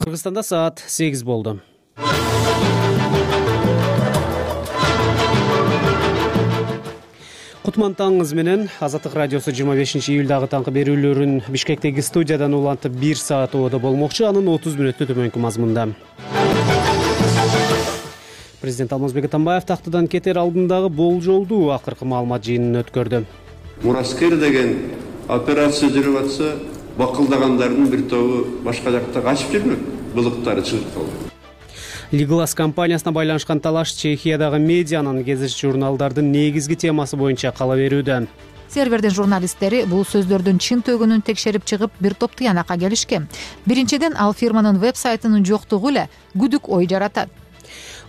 Кыргызстанда саат 8 болду. Кутман таңыңыз менен Азаттык радиосу 25-июлдагы таңкы берүүлөрүн Бишкектеги студиядан улантып 1 саат убада болмокчу. Анын 30 мүнөттү төмөнкү мазмунда. Президент Алмазбек Атамбаев тактыдан кетер алдындагы болжолдуу акыркы маалымат жыйынын өткөрдү. Мураскер деген операция жүрүп атса, бакылдагандардын бир тобу башка жакта качып жүрмөк, былыктары чыгып калды. Лиглас компаниясына байланышкан талаш Чехиядагы медианын кезиш журналдардын негизги темасы боюнча кала берүүдө. Сервердин журналисттери бул сөздөрдүн чын төгүнүн текшерип чыгып, бир топ тыянакка келишкен. Биринчиден, ал фирманын веб-сайтынын жоктугу эле күдүк ой жаратат.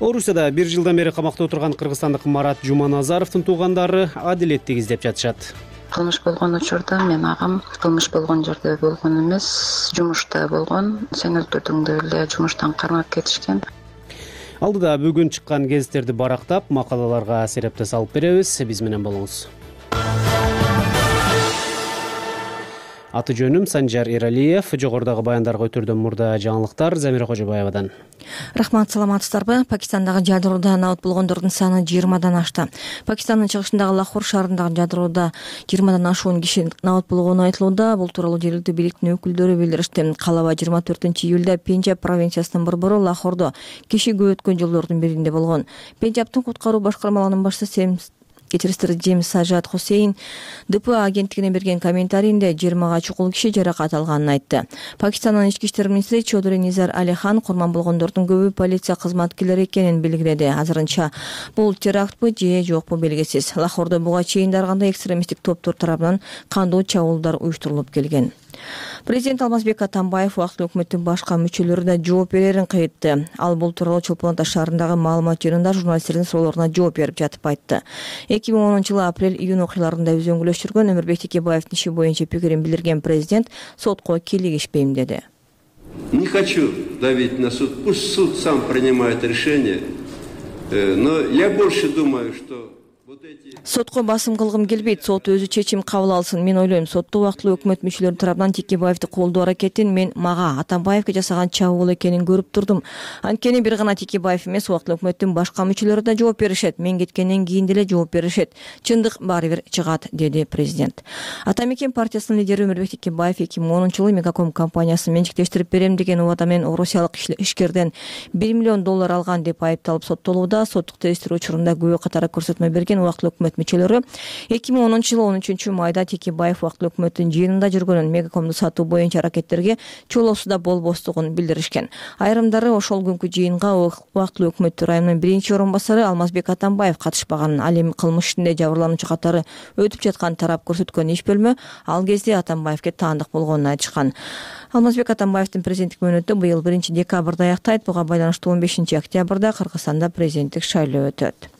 Орусияда 1 жылдан бери камакта отурган кыргызстандык Марат Жуманазаровдун туугандары адилеттик издеп жатышат. Кылмыш болгон учурда мен агам кылмыш болгон жерде болгон эмес, жумушта болгон. Сен өлтүрдүң деп эле жумуштан кармап кетишкен. Алдыда бүгүн чыккан гезиттерди барактап, макалаларга серепте салып беребиз. Биз менен болуңуз. Аты жөнүм Санжар Эралиев. Жогорудагы баяндарга өтөрдөн мурда жаңылыктар Замира Кожобаевадан. Рахмат, саламатсыздарбы? Пакистандагы жадыроодо набат болгондордун саны 20дан ашты. Пакистандын чыгышындагы Лахор шаарындагы жадыроодо 20дан ашуун киши набат болгону айтылууда. Бул тууралуу жергиликтүү бийликтин өкүлдөрү билдиришти. Калаба 24-июлда Пенджаб провинциясынын борбору Лахордо киши көп өткөн жолдордун биринде болгон. Пенджабтын куткаруу башкармалыгынын башчысы Джеймс Сажат Хусейн ДПА агенттигине берген комментарийинде 20га чукул киши жаракат алганын айтты. Пакистандын ички иштер министри Чодури Низар Алихан курман болгондордун көбү полиция кызматкерлери экенин белгиледи. Азырынча бул терактпы же жокпу белгисиз. Лахордо буга чейин ар кандай экстремисттик топтор тарабынан кандуу чабуулдар уюштурулуп келген. Президент Алмазбек Атамбаев убактылуу өкмөттүн башка мүчөлөрү да жооп берерин кыйтты. Ал бул тууралуу Чолпон Ата шаарындагы маалымат жыйынында журналисттердин суроолоруна жооп берип жатып айтты. 2010-жылы апрель-июнь окуяларында өзөңгүлөш жүргөн Өмүрбек Текебаевдин иши боюнча пикирин билдирген президент сотко кийлигишпейм деди. Не хочу давить на суд, пусть суд сам принимает решение, но я больше думаю, что сотко басым кылгым келбейт, сот өзү чечим кабыл алсын. Мен ойлойм, сотто убактылуу өкмөт мүчөлөрү тарабынан Текебаевди колдоо аракетин мен мага Атамбаевге жасаган чабуул экенин көрүп турдум. Анткени бир гана Текебаев эмес, убактылуу өкмөттүн башка мүчөлөрү да жооп беришет. Мен кеткенден кийин деле жооп беришет. Чындык баары бир чыгат, деди президент. Ата Мекен партиясынын лидери Өмүрбек Текебаев 2010-жылы Мегаком компаниясын менчиктештирип берем деген убада менен орусиялык ишкерден $1 миллион алган деп айыпталып соттолууда. Соттук териштирүү учурунда күбө катары көрсөтмө берген убактылуу өкмөт мүчөлөрү 2010-жылы 13 майда Текебаев убактылуу өкмөттүн жыйынында жүргөнүн, Мегакомду сатуу боюнча аракеттерге чоолоосуда болбостугун билдиришкен. Айрымдары ошол күнкү жыйынга убактылуу өкмөттү районунун биринчи орун басары Алмазбек Атамбаев катышпаганын, ал эми кылмыш ишинде жабырлануучу катары өтүп жаткан тарап көрсөткөн иш бөлмө ал кезде Атамбаевге таандык болгонун айтышкан. Алмазбек Атамбаевдин президенттик мөөнөтү быйыл 1-декабрда аяктайт. Буга байланыштуу 15-октябрда Кыргызстанда президенттик шайлоо өтөт.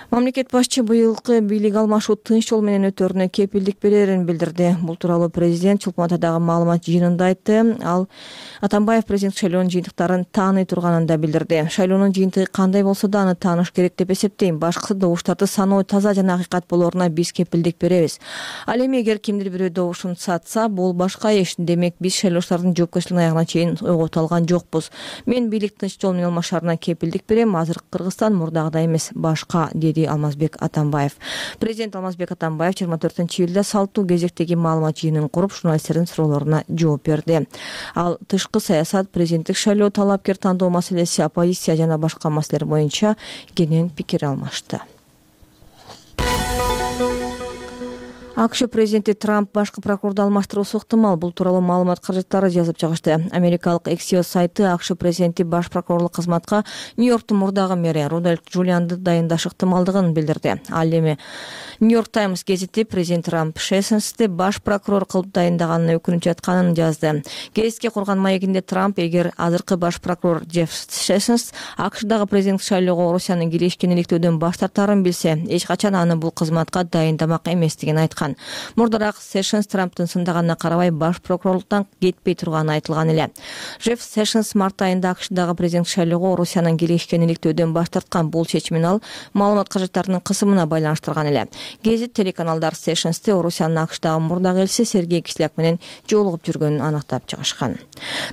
Мамлекет башчы быйылкы бийлик алмашуу тынч жол менен өтөрүнө кепилдик берерин билдирди. Бул тууралуу президент Чолпон Атадагы маалымат жыйынында айтты. Ал Атамбаев президенттик шайлоонун жыйынтыктарын тааный турганын да билдирди. Шайлоонун жыйынтыгы кандай болсо да аны тааныш керек деп эсептейм. Башкысы добуштарды саноо таза жана акыйкат болоруна биз кепилдик беребиз. Ал эми эгер кимдир бирөө добушун сатса, бул башка иш. Демек биз шайлоочулардын жоопкерчилигин аягына чейин ойгото алган жокпуз. Мен бийлик тынч жол менен алмашаарына кепилдик берем. Азыр Кыргызстан мурдагыдай эмес, башка, деди Алмазбек Атамбаев. Президент Алмазбек Атамбаев 24-июлда салттуу кезектеги маалымат жыйынын куруп, журналисттердин суроолоруна жооп берди. Ал тышкы саясат, президенттик шайлоо, талапкер тандоо маселеси, оппозиция жана башка маселелер боюнча кенен пикир алмашты. АКШ президенти Трамп башкы прокурорду алмаштыруусу ыктымал. Бул тууралуу маалымат каражаттары жазып чыгышты. Америкалык Axios сайты АКШ президенти баш прокурорлук кызматка Нью-Йорктун мурдагы мэри Рудольф Джулианды дайындаш ыктымалдыгын билдирди. Ал эми Нью-Йорк Таймс гезити президент Трамп Шессонсти баш прокурор кылып дайындаганына өкүнүп жатканын жазды. Гезитке курган маегинде Трамп эгер азыркы баш прокурор Джефф Шессонс АКШдагы президенттик шайлоого Орусиянын киришкениликтөөдөн баш тартаарын билсе, эч качан аны бул кызматка дайындамак эместигин айткан. айткан. Мурдараак Sessions Трамптын сындаганына карабай баш прокурорлуктан кетпей турганы айтылган эле. Джефф Sessions март айында АКШдагы президент шайлоого Орусиянын келишкен иликтөөдөн баш тарткан. Бул чечимин ал маалымат кажеттарынын кысымына байланыштырган эле. Гезит телеканалдар Sessions'ты Орусиянын АКШдагы мурдагы элчиси Сергей Кисляк менен жолугуп жүргөнүн аныктап чыгышкан.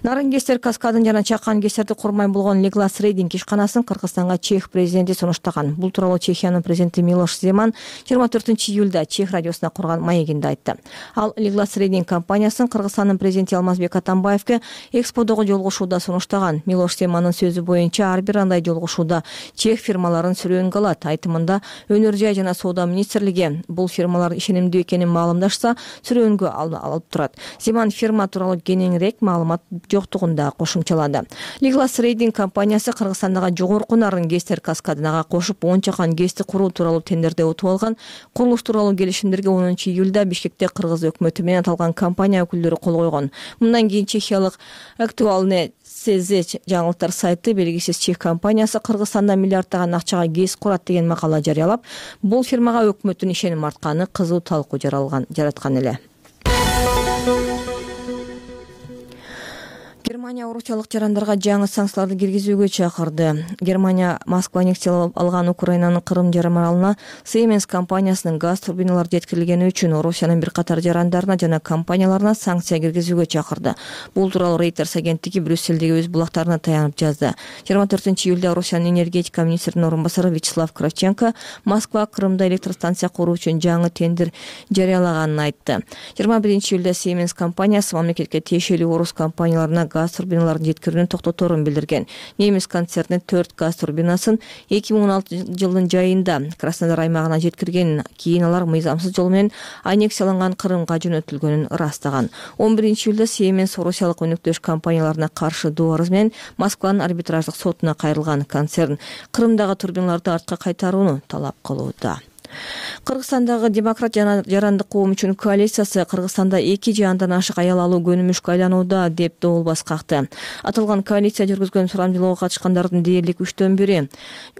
Нарын Гестер каскадын жана чакан Гестерди курмай болгон Legless Reading ишканасын Кыргызстанга Чех президенти сунуштаган. Бул тууралуу Чехиянын президенти Милош Земан 24-июлда Чех радиосуна курган маегинде айтты. Ал Legless Reading компаниясын Кыргызстандын президенти Алмазбек Атамбаевке эксподогу жолугушууда сунуштаган. Милош Земандын сөзү боюнча ар бир андай жолугушууда чех фирмаларын сүрөөнгө алат. Айтымында өнөр жай жана соода министрлиги бул фирмалар ишенимдүү экенин маалымдашса сүрөөнгө алып турат. Земан фирма тууралуу кененирээк маалымат жоктугун да кошумчалады. Legless Reading компаниясы Кыргызстандагы жогорку Нарын Гестер каскадынага кошуп 10 чакан ГЭСти куруу тууралуу тендерде утуп алган. Курулуш тууралуу келишимдерге 10-июлда Бишкекте Кыргыз өкмөтү менен аталган компания өкүлдөрү кол койгон. Мындан кийин чехиялык Актуальный СЗ жаңылыктар сайты белгисиз чех компаниясы Кыргызстанда миллиарддаган акчага ГЭС курат деген макала жарыялап, бул фирмага өкмөттүн ишеним артканы кызуу талкуу жараткан эле. Германия орусиялык жарандарга жаңы санкцияларды киргизүүгө чакырды. Германия Москва аннексиялап алган Украинанын Крым жарым аралына Siemens компаниясынын газ турбиналары жеткирилгени үчүн Орусиянын бир катар жарандарына жана компанияларына санкция киргизүүгө чакырды. Бул тууралуу Reuters агенттиги Брюссельдеги өз булактарына таянып жазды. 24-июлда Орусиянын энергетика министринин орун басары Вячеслав Кравченко Москва Крымда электростанция куруу үчүн жаңы тендер жарыялаганын айтты. 21-июлда Siemens компаниясы мамлекетке тиешелүү орус компанияларына газ турбиналарын жеткирүүнү токтоторун билдирген. Немис концерни 4 газ турбинасын 2016 жылдын жайында Краснодар аймагына жеткирген. Кийин алар мыйзамсыз жол менен аннексияланган Крымга жөнөтүлгөнүн ырастаган. 11-июлда Siemens орусиялык өнөктөш компанияларына каршы доо арыз менен Москванын арбитраждык сотуна кайрылган. Концерн Крымдагы турбиналарды артка кайтарууну талап кылууда. Кыргызстандагы демократ жана жарандык коом үчүн коалициясы Кыргызстанда 2 же андан ашык аял алуу көнүмүшкө айланууда деп добулбас какты. Аталган коалиция жүргүзгөн сурамжылоого катышкандардын дээрлик 1/3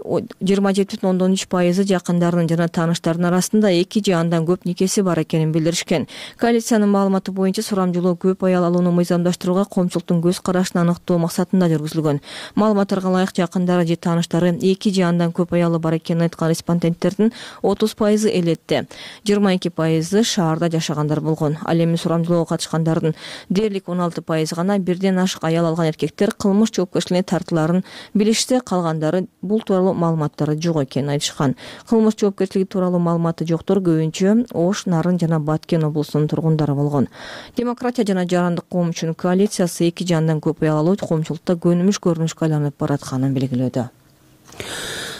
27,3% жакындарынын жана тааныштарынын арасында 2 же андан көп никеси бар экенин билдиришкен. Коалициянын маалыматы боюнча сурамжылоо көп аял алууну мыйзамдаштырууга коомчулуктун көз карашын аныктоо максатында жүргүзүлгөн. Маалыматтарга ылайык жакындары же тааныштары 2 же андан көп аялы бар экенин айткан респонденттердин 30% элетти, 22% шаарда жашагандар болгон. Ал эми сурамжылоого катышкандардын дээрлик 16% гана бирден ашык аял алган эркектер кылмыш жоопкерчилигине тартыларын билишсе, калгандары бул тууралуу маалыматтары жок экенин айтышкан. Кылмыш жоопкерчилиги тууралуу маалыматы жоктор көбүнчө Ош, Нарын жана Баткен облусунун тургундары болгон. Демократия жана жарандык коом үчүн коалициясы 2 же андан көп аял алуу коомчулукта көнүмүш көрүнүшкө айланып баратканын белгилөөдө.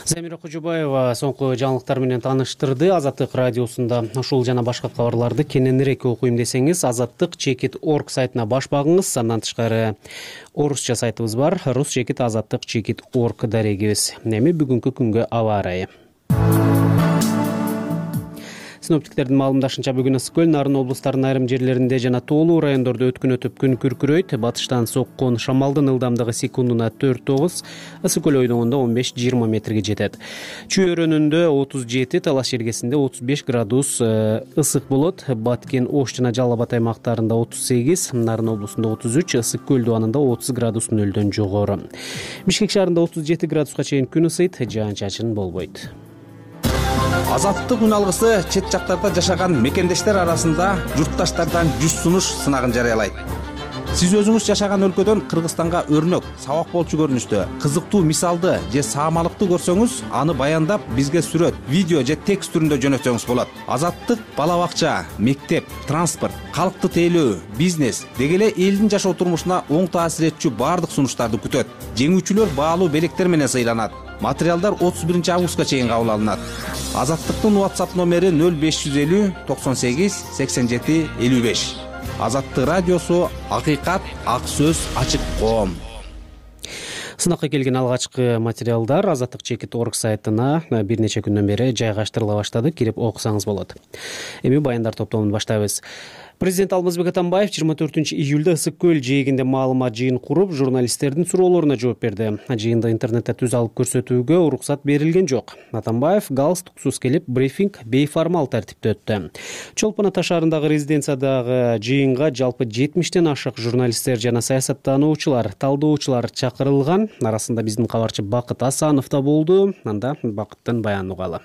Замира Кожобаева соңку жаңылыктар менен тааныштырды. Азаттык радиосунда ушул жана башка кабарларды кененирээк окуйм десеңиз, azattik.org сайтына баш багыңыз. Андан тышкары орусча сайтыбыз бар, rus.azattik.org дарегибиз. Эми бүгүнкү күнгө аба ырайы. Синоптиктердин маалымдашынча бүгүн ысык көл, Нарын облустарынын айрым жерлеринде жана тоолуу райондордо өткүн өтүп күн күркүрөйт. Батыштан соккон шамалдын ылдамдыгы секундуна 4-9, ысык көл ойдоңунда 15-20 метрге жетет. Чүй өрөөнүндө 37, Талаш жергесинде 35 градус ысык болот. Баткен, Ош жана Жалал Абад аймактарында 38, Нарын облусунда 33, ысык көл дубанында 30 градус нөлдөн жогору. Бишкек шаарында 37 градуска чейин күн ысыйт, жаан-чачын болбойт. Азаттык үн алгысы чет жактарда жашаган мекендештер арасында журтташтардан 100 сунуш сынагын жарыялайт. Сиз өзүңүз жашаган өлкөдөн Кыргызстанга өрнөк, сабак болчу көрүнүштө кызыктуу мисалды же саамалыкты көрсөңүз, аны баяндап бизге сүрөт, видео же текст түрүндө жөнөтсөңүз болот. Азаттык бала бакча, мектеп, транспорт, калкты тейлөө, бизнес деги эле элдин жашоо турмушуна оң таасир этчү баардык сунуштарды күтөт. Жеңүүчүлөр баалуу белектер менен сыйланат. Материалдар 31 августка чейин кабыл алынат. Азаттыктын WhatsApp номери 0550 98 87 55. Азаттык радиосу акыйкат, ак сөз, ачык коом. Сынакка келген алгачкы материалдар azattik.org сайтына бир нече күндөн бери жайгаштырыла баштады. Кирип окусаңыз болот. Эми баяндар топтомун баштайбыз. Президент Алмазбек Атамбаев 24-июлда Ысык көл жээгинде маалымат жыйын куруп, журналисттердин суроолоруна жооп берди. Жыйында интернетте түз алып көрсөтүүгө уруксат берилген жок. Атамбаев галстуксуз келип, брифинг бейформал тартипте өттү. Чолпон Ата шаарындагы резиденциядагы жыйынга жалпы 70тен ашык журналисттер жана саясаттануучулар, талдоочулар чакырылган. Арасында биздин кабарчы Бакыт Асанов да болду. Анда Бакыттын баянын угалы.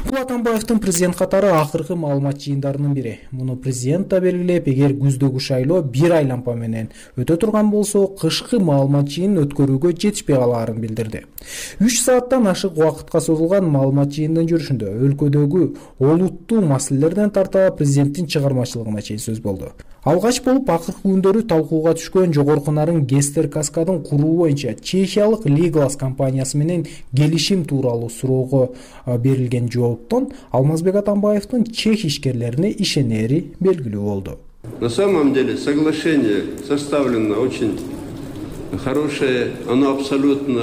Бул Атамбаевдин президент катары акыркы маалымат жыйындарынын бири. Муну президент да белгилеп, эгер күздөгү шайлоо бир айлампа менен өтө турган болсо, кышкы маалымат жыйынын өткөрүүгө жетишпей калаарын билдирди. 3 сааттан ашык убакытка созулган маалымат жыйынынын жүрүшүндө өлкөдөгү олуттуу маселелерден тарта президенттин чыгармачылыгына чейин сөз болду. Алгач болуп акыркы күндөрү талкууга түшкөн жогорку нарын Гестер каскадын куруу боюнча чехиялык Legolas компаниясы менен келишим тууралуу суроого берилген жооптон Алмазбек Атамбаевдин чех ишкерлерине ишенери белгилүү болду. На самом деле соглашение составлено очень хорошее, оно абсолютно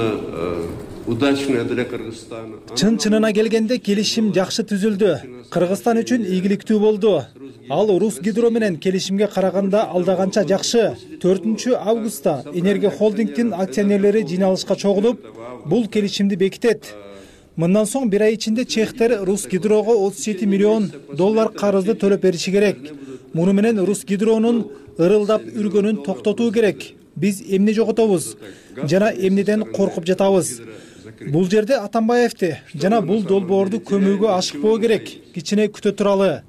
удачное для Кыргызстана. Чын-чынына келгенде келишим жакшы түзүлдү. Кыргызстан үчүн ийгиликтүү болду. Ал Русгидро менен келишимге караганда алдаганча жакшы. 4-августта Энергия холдингдин акционерлери жыйналышка чогулуп, бул келишимди бекитет. Мындан соң бир ай ичинде чехтер Русгидрого $37 миллион карызды төлөп бериши керек. Муну менен Русгидронун ырылдап үргөнүн токтотуу керек. Биз эмне жоготобуз жана эмнеден коркуп жатабыз. Бул жерде Атамбаевди жана бул долбоорду көмүүгө ашыкпоо керек. Кичине күтө туралы.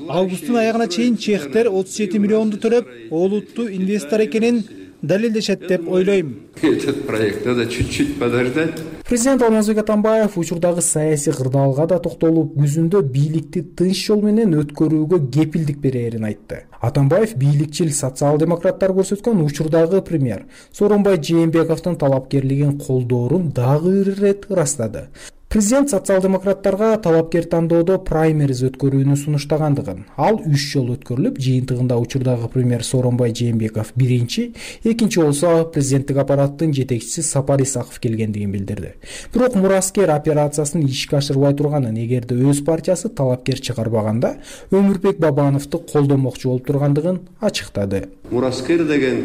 Августтун аягына чейин чехтер 37 миллионду төлөп, олуттуу инвестор экенин далилдешет деп ойлойм. Этот проект надо чуть-чуть подождать. Президент Алмазбек Атамбаев учурдагы саясий кырдаалга да токтолуп, күзүндө бийликти тынч жол менен өткөрүүгө кепилдик берерин айтты. Атамбаев бийликчил социал-демократтар көрсөткөн учурдагы премьер Сооронбай Жээнбековдун талапкерлигин колдоорун дагы бир ирет ырастады. Президент социал-демократтарга талапкер тандоодо праймериз өткөрүүнү сунуштагандыгын, ал 3 жол өткөрүлүп, жыйынтыгында учурдагы премьер Сооронбай Жээнбеков биринчи, экинчи болсо президенттик аппараттын жетекчиси Сапар Исаков келгендигин билдирди. Бирок мураскер операциясын ишке ашырбай турганын, эгерде өз партиясы талапкер чыгарбаганда, Өмүрбек Бабановду колдомокчу болуп тургандыгын ачыктады. Мураскер деген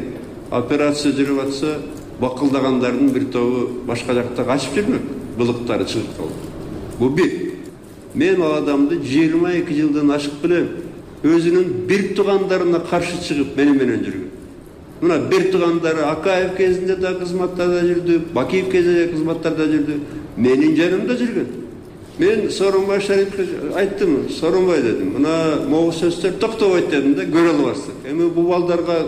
операция жүрүп атса, бакылдагандардын бир тобу башка жакта качып жүрмөк. Былыктары чыгып калды. Бу бир. Мен ал адамды 22 жылдан ашык билем. Өзүнүн бир туугандарына каршы чыгып менен жүргөн. Мына бир туугандары Акаев кезинде да кызматтарда жүрдү, Бакиев кезинде кызматтарда жүрдү, менин жанымда жүргөн. Мен Сооронбай Шариповке айттым, Сооронбай дедим, мына могу сөздөр токтобойт дедим да, көрө албассың. Эми бул балдарга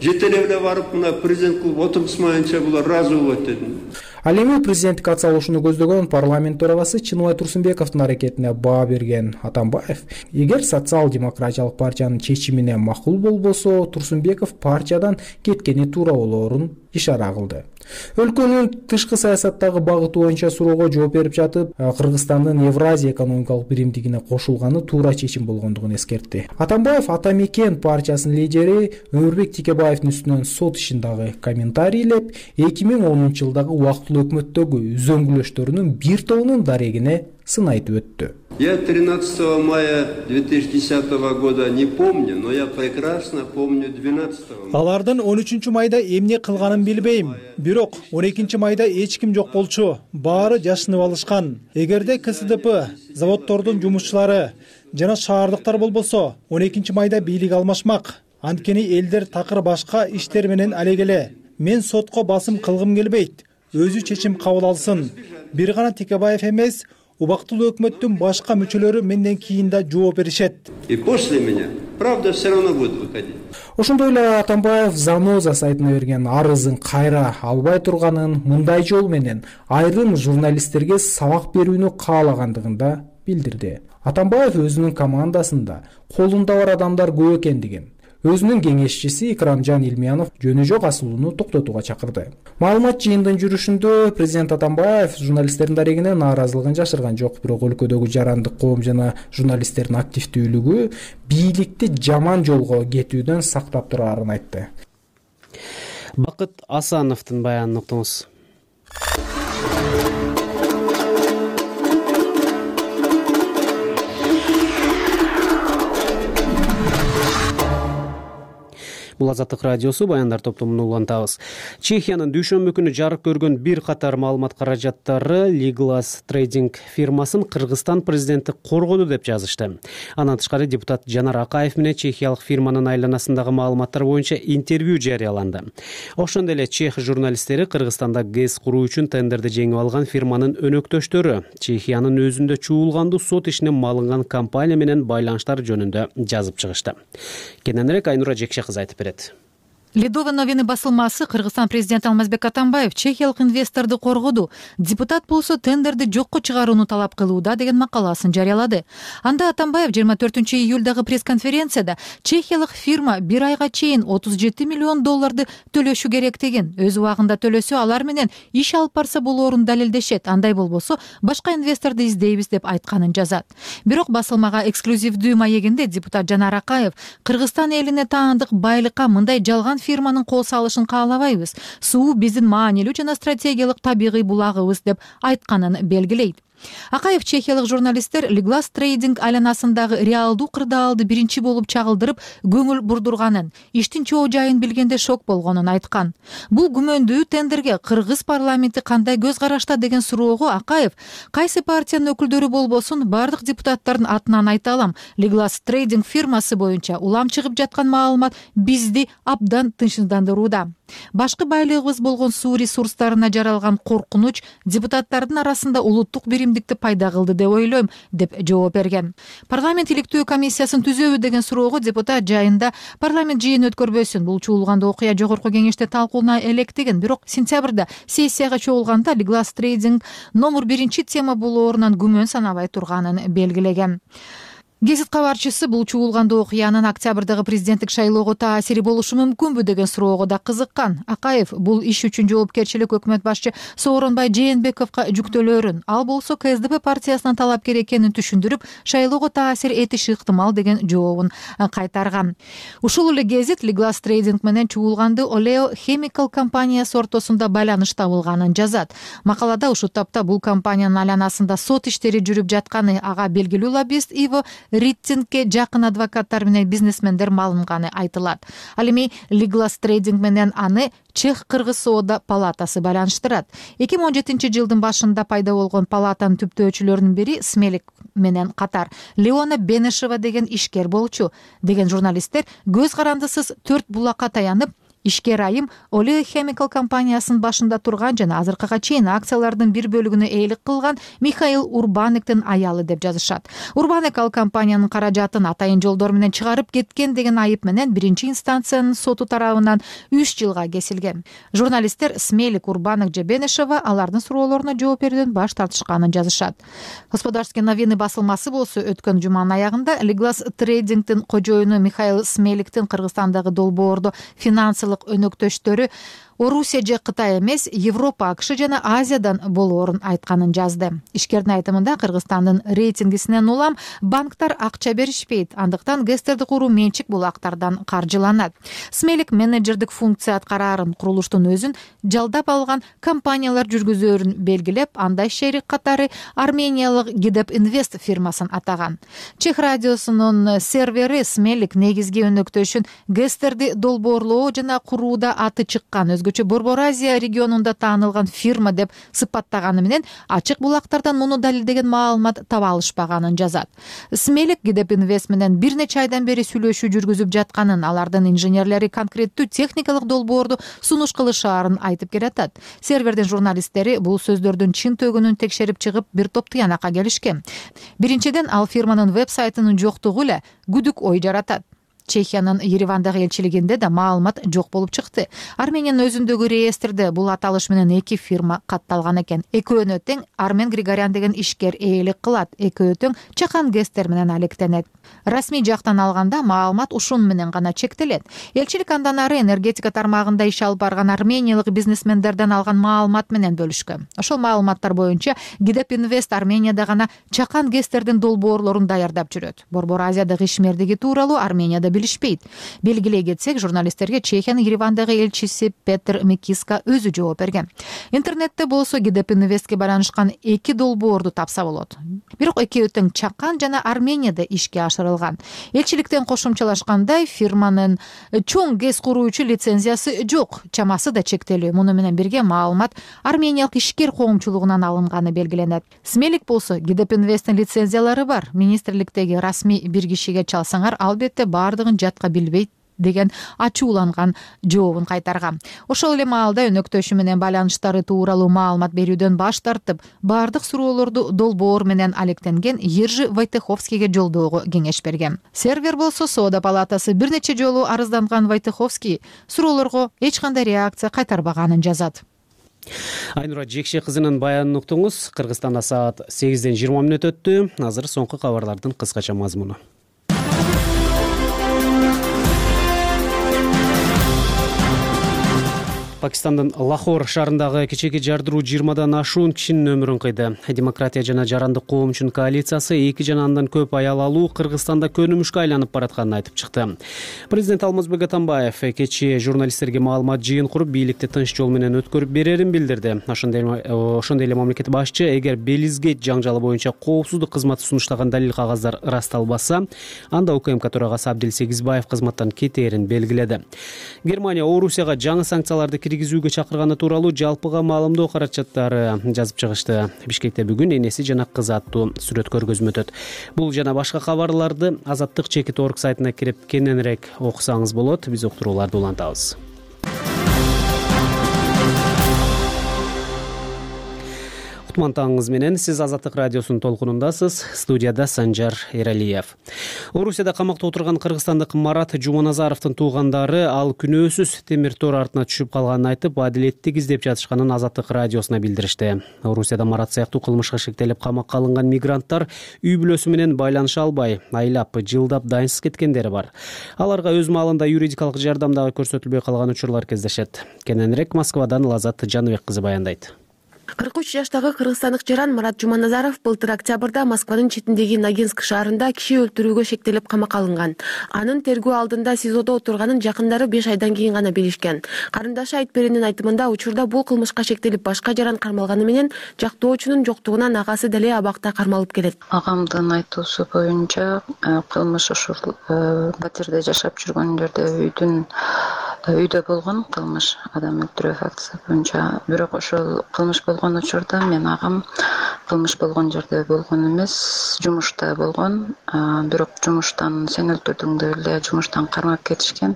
жетелеп барып, мына президент кылып отургузмайынча булар ыраазы болот дедим. Ал эми президенттик атсалышууну көздөгөн парламент төрагасы Чыныбай Турсунбековдун аракетине баа берген Атамбаев, эгер социал-демократиялык партиянын чечимине макул болбосо, Турсунбеков партиядан кеткени туура болоорун ишара кылды. Өлкөнүн тышкы саясаттагы багыты боюнча суроого жооп берип жатып, Кыргызстандын Евразия экономикалык биримдигине кошулганы туура чечим болгондугун эскертти. Атамбаев Атамекен партиясынын лидери Өмүрбек Текебаевдин үстүнөн сот ишин дагы комментарийлеп, 2010-жылдагы убактылуу өкмөттөгү үзөңгүлөштөрүнүн бир тобунун дарегине сын айтып өттү. Я 13 мая 2010 года не помню, но я прекрасно помню 12 мая. Алардын 13 майда эмне кылганын билбейм. Бирок 12 майда эч ким жок болчу. Баары жашынып алышкан. Эгерде КСДП, заводдордун жумушчулары жана шаардыктар болбосо, 12 майда бийлик алмашмак. Анткени элдер такыр башка иштер менен алегеле. Мен сотко басым кылгым келбейт. Өзү чечим кабыл алсын. Бир гана Текебаев эмес, убактылуу өкмөттүн башка мүчөлөрү менден кийин да жооп беришет. И после меня, правда, все равно будет выходить. Ошондой эле Атамбаев Заноза сайтына берген арызын кайра албай турганын, мындай жол менен айрым журналисттерге сабак берүүнү каалагандыгын да билдирди. Атамбаев өзүнүн командасында колунда бар адамдар көп экендигин, өзүнүн кеңешчиси Икрамжан Илмиянов жөнү жок асылууну токтотууга чакырды. Маалымат жыйындын жүрүшүндө президент Атамбаев журналисттердин дарегине нааразылыгын жашырган жок, бирок өлкөдөгү жарандык коом жана журналисттердин активдүүлүгү бийликти жаман жолго кетүүдөн сактап турарын айтты. Бакыт Асановдун баянын уктуңуз. бул Азаттык радиосу, баяндар топтомун улантабыз. Чехиянын дүйшөмбү күнү жарык көргөн бир катар маалымат каражаттары Liglas Trading фирмасын Кыргызстан президенти коргоду деп жазышты. Андан тышкары депутат Жанар Акаев менен чехиялык фирманын айланасындагы маалыматтар боюнча интервью жарыяланды. Ошондой эле чех журналисттери Кыргызстанда ГЭС куруу үчүн тендерди жеңип алган фирманын өнөктөштөрү Чехиянын өзүндө чуулгандуу сот ишине малынган компания менен байланыштар жөнүндө жазып чыгышты. Кененирээк Айнура Жекше кызы айтып берет. Ледовый новины басылмасы Кыргызстан президенти Алмазбек Атамбаев чехиялык инвесторду коргоду, депутат болсо тендерди жокко чыгарууну талап кылууда деген макаласын жарыялады. Анда Атамбаев 24-июлдагы пресс-конференцияда чехиялык фирма бир айга чейин $37 миллион төлөшү керек деген, өз убагында төлөсө алар менен иш алып барса болоорун далилдешет, андай болбосо башка инвесторду издейбиз деп айтканын жазат. Бирок басылмага эксклюзивдүү маегинде депутат Жанар Акаев Кыргызстан элине таандык байлыкка мындай жалган фирманын кол салышын каалабайбыз. Суу биздин маанилүү жана стратегиялык табигый булагыбыз деп айтканын белгилейт. Акаев чехиялык журналисттер Liglas Trading айланасындагы реалдуу кырдаалды биринчи болуп чагылдырып көңүл бурдурганын, иштин чоо жайын билгенде шок болгонун айткан. Бул күмөндүү тендерге кыргыз парламенти кандай көз карашта деген суроого Акаев кайсы партиянын өкүлдөрү болбосун бардык депутаттардын атынан айта алам. Liglas Trading фирмасы боюнча улам чыгып жаткан маалымат бизди абдан тынчсыздандырууда. Башкы байлыгыбыз болгон суу ресурстарына жаралган коркунуч депутаттардын арасында улуттук биримдикти пайда кылды деп ойлойм, деп жооп берген. Парламент иликтөө комиссиясын түзөбү деген суроого депутат жайында парламент жыйын өткөрбөсүн, бул чуулгандуу окуя жогорку кеңеште талкууна электеген, бирок сентябрда сессияга чогулганда Liglas Trading номер 1 тема болоорунан күмөн санабай турганын белгилеген. Гезит кабарчысы бул чуулгандуу окуянын октябрдагы президенттик шайлоого таасири болушу мүмкүнбү деген суроого да кызыккан. Акаев бул иш үчүн жоопкерчилик өкмөт башчы Сооронбай Жээнбековго жүктөлөөрүн, ал болсо КСДП партиясынын талапкер экенин түшүндүрүп, шайлоого таасир этиши ыктымал деген жообун кайтарган. Ушул эле гезит Liglas Trading менен чуулгандуу Oleo Chemical компаниясы ортосунда байланыш табылганын жазат. Макалада ушул тапта бул компаниянын айланасында сот иштери жүрүп жатканы, ага белгилүү лоббист Иво Риттингке жакын адвокаттар менен бизнесмендер малынганы айтылат. Ал эми Liglas Trading менен аны Чех-Кыргыз соода палатасы байланыштырат. 2017 жылдын башында пайда болгон палатанын түптөөчүлөрүнүн бири Смелик менен катар Леона Бенешева деген ишкер болчу деген журналисттер көз карандысыз 4 булакка таянып, ишкер айым Oleo Chemical компаниясынын башында турган жана азыркыга чейин акциялардын бир бөлүгүнө ээлик кылган Михаил Урбанектин аялы деп жазышат. Урбанек ал компаниянын каражатын атайын жолдор менен чыгарып кеткен деген айып менен биринчи инстанциянын соту тарабынан 3 жылга кесилген. Журналисттер Смелик, Урбанек же Бенешева алардын суроолоруна жооп берүүдөн баш тартышканын жазышат. Господарские новины басылмасы болсо өткөн жуманын аягында Liglas Trading'дин кожоюну Михаил Смеликтин Кыргызстандагы долбоордо финансылык өнөктөштөрү Орусия же Кытай эмес, Европа, АКШ жана Азиядан болоорун айтканын жазды. Ишкердин айтымында Кыргызстандын рейтингисинен улам банктар акча беришпейт, андыктан ГЭСтерди куруу менчик булактардан каржыланат. Смелик менеджердик функция аткараарын, курулуштун өзүн жалдап алган компаниялар жүргүзөөрүн белгилеп, андай шерик катары армениялык Гидеп Инвест фирмасын атаган. Чех радиосунун сервери Смелик негизги өнөктөшүн ГЭСтерди долбоорлоо жана курууда аты чыккан, Борбор Азия регионунда таанылган фирма деп сыпаттаганы менен ачык булактардан муну далилдеген маалымат таба алышпаганын жазат. Смелик Гидеп Инвест менен бир нече айдан бери сүйлөшүү жүргүзүп жатканын, алардын инженерлери конкреттүү техникалык долбоорду сунуш кылышаарын айтып келатат. Сервердин журналисттери бул сөздөрдүн чын төгүнүн текшерип чыгып, бир топ тыянакка келишкен. Биринчиден, ал фирманын веб-сайтынын жоктугу эле күдүк ой жаратат. Чехиянын Еревандагы элчилигинде да маалымат жок болуп чыкты. Армениянын өзүндөгү реестрде бул аталыш менен 2 фирма катталган экен. Экөөнө тең Армен Григорян деген ишкер ээлик кылат. Экөө тең чакан ГЭСтер менен алектенет. Расмий жактан алганда маалымат ушун менен гана чектелет. Элчилик андан ары энергетика тармагында иш алып барган армениялык бизнесмендерден алган маалымат менен бөлүшкөн. Ошол маалыматтар боюнча Гидеп Инвест Арменияда гана чакан ГЭСтердин долбоорлорун даярдап жүрөт. Борбор Азиядагы ишмердиги тууралуу Арменияда билишпейт. Белгилей кетсек, журналисттерге Чехиянын Еревандагы элчиси Петр Микиска өзү жооп берген. Интернетте болсо GDP Invest'ке байланышкан 2 долбоорду тапса болот. Бирок экөө тең Чакан жана Арменияда ишке ашырылган. Элчиликтен кошумчалашкандай, фирманын чоң ГЭС куруучу лицензиясы жок, чамасы да чектелүү. Муну менен бирге маалымат армениялык ишкер коомчулугунан алынганы белгиленет. Смелик болсо GDP Invest'тин лицензиялары бар. Министрликтеги расмий бир кишиге чалсаңар, албетте баардыгын жатка билбейт деген ачууланган жообун кайтарган. Ошол эле маалда өнөктөшү менен байланыштары тууралуу маалымат берүүдөн баш тартып, баардык суроолорду долбоор менен алектенген Ержи Войтеховскийге жолдоого кеңеш берген. Сервер болсо Соода палатасы бир нече жолу арызданган Войтеховский суроолорго эч кандай реакция кайтарбаганын жазат. Айнура Жекше кызынын баянын уктуңуз. Кыргызстанда саат 8-ден 20 мүнөт өттү. Азыр соңку кабарлардын кыскача мазмуну. Пакистандын Лахор шаарындагы кечээки жардыруу 20дан ашуун кишинин өмүрүн кыйды. Демократия жана жарандык коом үчүн коалициясы 2 жана андан көп аял алуу Кыргызстанда көнүмүшкө айланып баратканын айтып чыкты. Президент Алмазбек Атамбаев кечээ журналисттерге маалымат жыйын куруп, бийликти тынч жол менен өткөрүп берерин билдирди. Ошондой эле мамлекет башчы эгер Белизгейт жаңжалы боюнча коопсуздук кызматы сунуштаган далил кагаздар ырасталбаса, анда УКМК төрагасы Абдил Сегизбаев кызматтан кетээрин белгиледи. Германия Орусияга жаңы санкцияларды киргизүүгө чакырганы тууралуу жалпыга маалымдоо каражаттары жазып чыгышты. Бишкекте бүгүн энеси жана кызы аттуу сүрөт көргөзмө өтөт. Бул жана башка кабарларды Азаттык /org сайтына кирип кененирээк окусаңыз болот. Биз уктурууларды улантабыз. Кутман менен сиз Азаттык радиосунун толкунундасыз. Студияда Санжар Эралиев. Орусияда камакта отурган кыргызстандык Марат Жуманазаровдун туугандары ал күнөөсүз темир тор артына түшүп калганын айтып, адилеттик издеп жатышканын Азаттык радиосуна билдиришти. Орусияда Марат сыяктуу кылмышка шектелип камакка алынган мигранттар үй бүлөсү менен байланыша албай, айлап, жылдап дайынсыз кеткендери бар. Аларга өз маалында юридикалык жардам дагы көрсөтүлбөй калган учурлар кездешет. Кененирээк Москвадан Лазат Жаныбек кызы баяндайт. 43 жаштагы кыргызстандык жаран Марат Жуманазаров былтыр октябрда Москванын четиндеги Ногинск шаарында киши өлтүрүүгө шектелип камакка алынган. Анын тергөө алдында СИЗОдо отурганын жакындары 5 айдан кийин гана билишкен. Карындашы Айтберенин айтымында учурда бул кылмышка шектелип башка жаран кармалганы менен жактоочунун жоктугунан агасы деле абакта кармалып келет. Агамдын айтуусу боюнча кылмыш ушул батирде жашап жүргөн жерде үйдө болгон кылмыш, адам өлтүрүү фактысы боюнча. Бирок ошол кылмыш болгон учурда мен агам кылмыш болгон жерде болгон эмес, жумушта болгон. Бирок жумуштан сен өлтүрдүң деп эле жумуштан кармап кетишкен.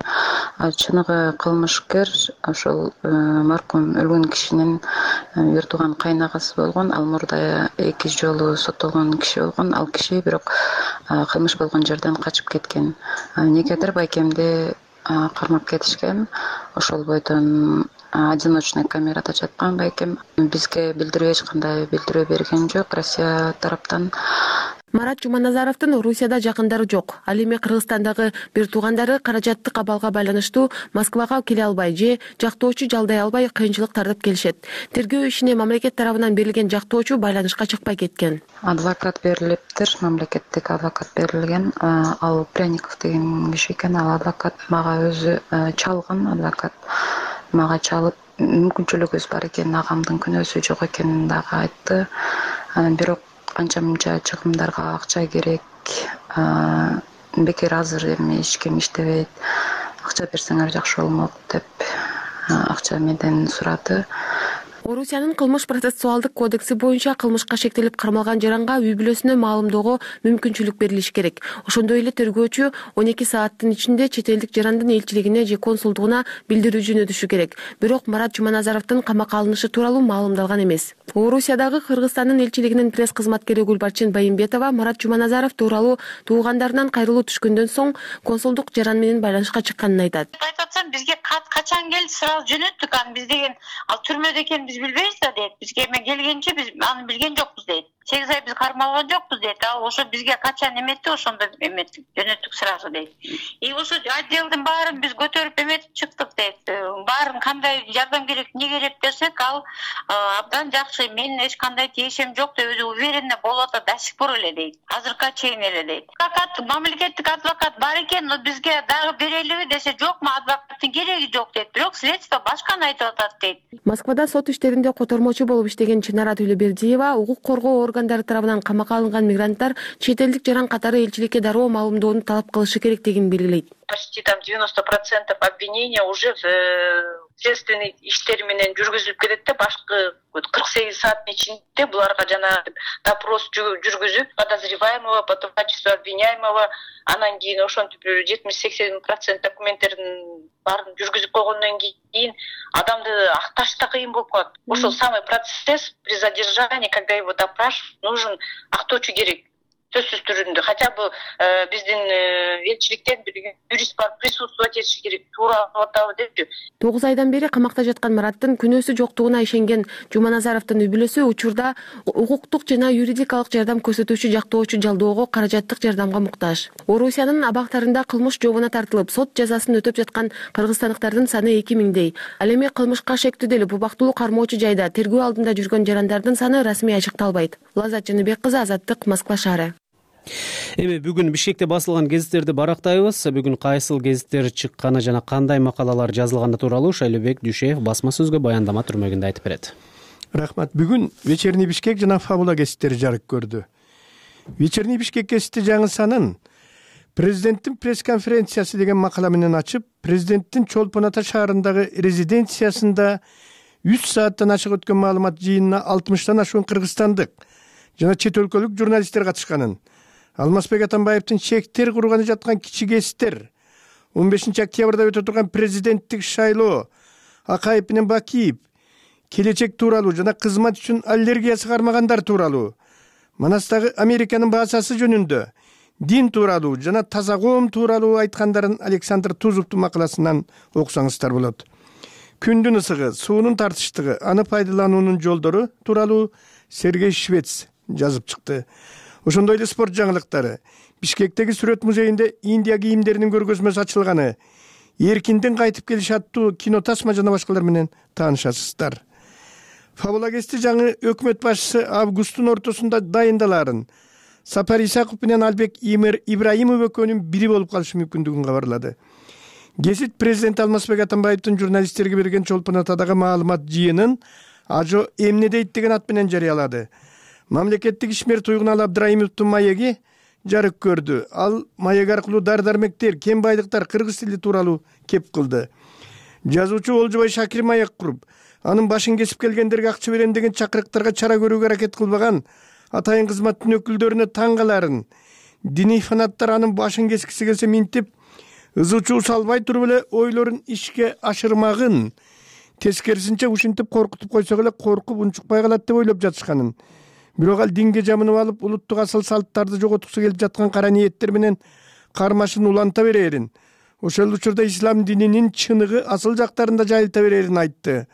Чыныгы кылмышкер ошол маркум өлгөн кишинин бир тууган кайнагасы болгон. Ал мурда 2 жолу соттолгон киши болгон. Ал киши бирок кылмыш болгон жерден качып кеткен. Негедир байкемди кармап кетишкен. Ошол бойдон одиночный камерада жаткан байкем. Бизге билдирүү эч кандай билдирүү берген жок Россия тараптан. Марат Жуманазаровдун Орусияда жакындары жок. Ал эми Кыргызстандагы бир туугандары каражаттык абалга байланыштуу Москвага келе албай же жактоочу жалдай албай кыйынчылык тартып келишет. Тергөө ишине мамлекет тарабынан берилген жактоочу байланышка чыкпай кеткен. Адвокат берилиптир, мамлекеттик адвокат берилген. Ал Пряников деген киши экен. Ал адвокат мага өзү чалган адвокат. Мага чалып мүмкүнчүлүгүбүз бар экен, агамдын күнөөсү жок экенин дагы айтты. Бирок канча мынча чыгымдарга акча керек. Бекер азыр эми эч ким иштебейт. Акча берсеңер жакшы болмок деп акча менден сурады. Орусиянын кылмыш процессуалдык кодекси боюнча кылмышка шектелип кармалган жаранга үй бүлөсүнө маалымдоого мүмкүнчүлүк берилиш керек. Ошондой эле тергөөчү 12 сааттын ичинде чет элдик жарандын элчилигине же консулдугуна билдирүү жөнөтүшү керек. Бирок Марат Жуманазаровдун камакка алынышы тууралуу маалымдалган эмес. Орусиядагы Кыргызстандын элчилигинин пресс кызматкери Гүлбарчын Байымбетова Марат Жуманазаров тууралуу туугандарынан кайрылуу түшкөндөн соң консулдук жаран менен байланышка чыкканын айтат. Айтып атсам, бизге качан келди, сразу жөнөттүк. Аны биз деген ал түрмөдө экен билбейбиз да дейт. Бизге эме келгенче биз аны билген жокпуз дейт. 8 ай биз кармалган жокпуз дейт. Ал ошо бизге качан эметти, ошондо эметтик, жөнөттүк сразу дейт. И ошо отделдин баарын биз көтөрүп эметип чыктык дейт. Баарын кандай жардам керек, эмне керек десек, ал абдан жакшы, менин эч кандай тиешем жок деп өзү уверенно болуп атат до сих пор эле дейт. Азыркыга чейин эле дейт. Мамлекеттик адвокат бар экен, но бизге дагы берелиби десе, жокму, адвокаттын кереги жок дейт. Бирок следствие башканы айтып атат дейт. Москвада сот иштеринде котормочу болуп иштеген Чынара Төлөбердиева укук коргоо органдары тарабынан камакка алынган мигранттар чет элдик жаран катары элчиликке дароо маалымдоону талап кылышы керектигин белгилейт. Почти там 90% обвинения уже в следственный иштер менен жүргүзүлүп кетет да, башкы 48 сааттын ичинде буларга жана допрос жүргүзүп, подозреваемого, потом качество обвиняемого, анан кийин ошентип 70-80% документтердин баарын жүргүзүп койгондон кийин адамды акташ да кыйын болуп калат. Ошол самый процесс при задержании, когда его допрашивают, нужен актоочу керек. Сөзсүз түрүндө, хотя бы биздин элчиликтен бир юрист бар, присутствовать этиши керек, туура атабы депчи. 9 айдан бери камакта жаткан Мараттын күнөөсү жоктугуна ишенген Жуманазаровдун үй-бүлөсү учурда укуктук жана юридикалык жардам көрсөтүүчү жактоочу жалдоого каражаттык жардамга муктаж. Орусиянын абактарында кылмыш жообуна тартылып, сот жазасын өтөп жаткан кыргызстандыктардын саны 2000дей. Ал эми кылмышка шектелип, убактылуу кармоочу жайда тергөө алдында жүргөн жарандардын саны расмий ачыкталбайт. Лаззат Жаныбек кызы, Азаттык, Москва шаары. Эми бүгүн Бишкекте басылган гезиттерди барактайбыз. Бүгүн кайсыл гезиттер чыкканы жана кандай макалалар жазылганы тууралуу Шайлообек Дүйшеев басма сөзгө баяндама түрмөгүндө айтып берет. Рахмат. Бүгүн Вечерний Бишкек жана Фабула гезиттери жарык көрдү. Вечерний Бишкек гезити жаңы санын президенттин пресс-конференциясы деген макала менен ачып, президенттин Чолпон Ата шаарындагы резиденциясында 3 сааттан ашык өткөн маалымат жыйынына 60тан ашуун кыргызстандык жана чет өлкөлүк журналисттер катышканын, Алмазбек Атамбаевдин чектер курганы жаткан кичи гезиттер, 15 октябрда өтө турган президенттик шайлоо, Акаев менен Бакиев, келечек тууралуу жана кызмат үчүн аллергиясы кармагандар тууралуу, Манастагы Американын баасасы жөнүндө, дин тууралуу жана таза коом тууралуу айткандарын Александр Тузовдун макаласынан окусаңыздар болот. Күндүн ысыгы, суунун тартыштыгы, аны пайдалануунун жолдору тууралуу Сергей Швец жазып чыкты. Ошондой эле спорт жаңылыктары. Бишкектеги сүрөт музейинде Индия кийимдеринин көргөзмөсү ачылганы, эркинден кайтып келиш аттуу кино тасма жана башкалар менен таанышасыздар. Фабула гезити жаңы өкмөт башчысы августтун ортосунда дайындалаарын, Сапар Исаков менен Албек Ибраимов экөөнүн бири болуп калышы мүмкүндүгүн кабарлады. Гезит президент Алмазбек Атамбаевдин журналисттерге берген Чолпон Атадагы маалымат жыйынын Ажо эмне дейт деген ат менен жарыялады. Мамлекеттик ишмер Туйгуналы Абдрайымовдун маеги жарык көрдү. Ал маек аркылуу дар-дармектер, кен байлыктар, кыргыз тили тууралуу кеп кылды. Жазуучу Олжобай Шакир маек куруп, анын башын кесип келгендерге акча берем деген чакырыктарга чара көрүүгө аракет кылбаган атайын кызматтын өкүлдөрүнө таң каларын, диний фанаттар анын башын кескиси келсе минтип, ызы-чуу салбай туруп эле ойлорун ишке ашырмагын, тескерисинче ушинтип коркутуп койсок эле коркуп унчукпай калат деп ойлоп жатышканын. Бирок ал динге жамынып алып, улуттук асыл салттарды жоготкусу келип жаткан кара ниеттер менен кармашын уланта берерин, ошол учурда ислам дининин чыныгы асыл жактарында жайылта берерин айтты.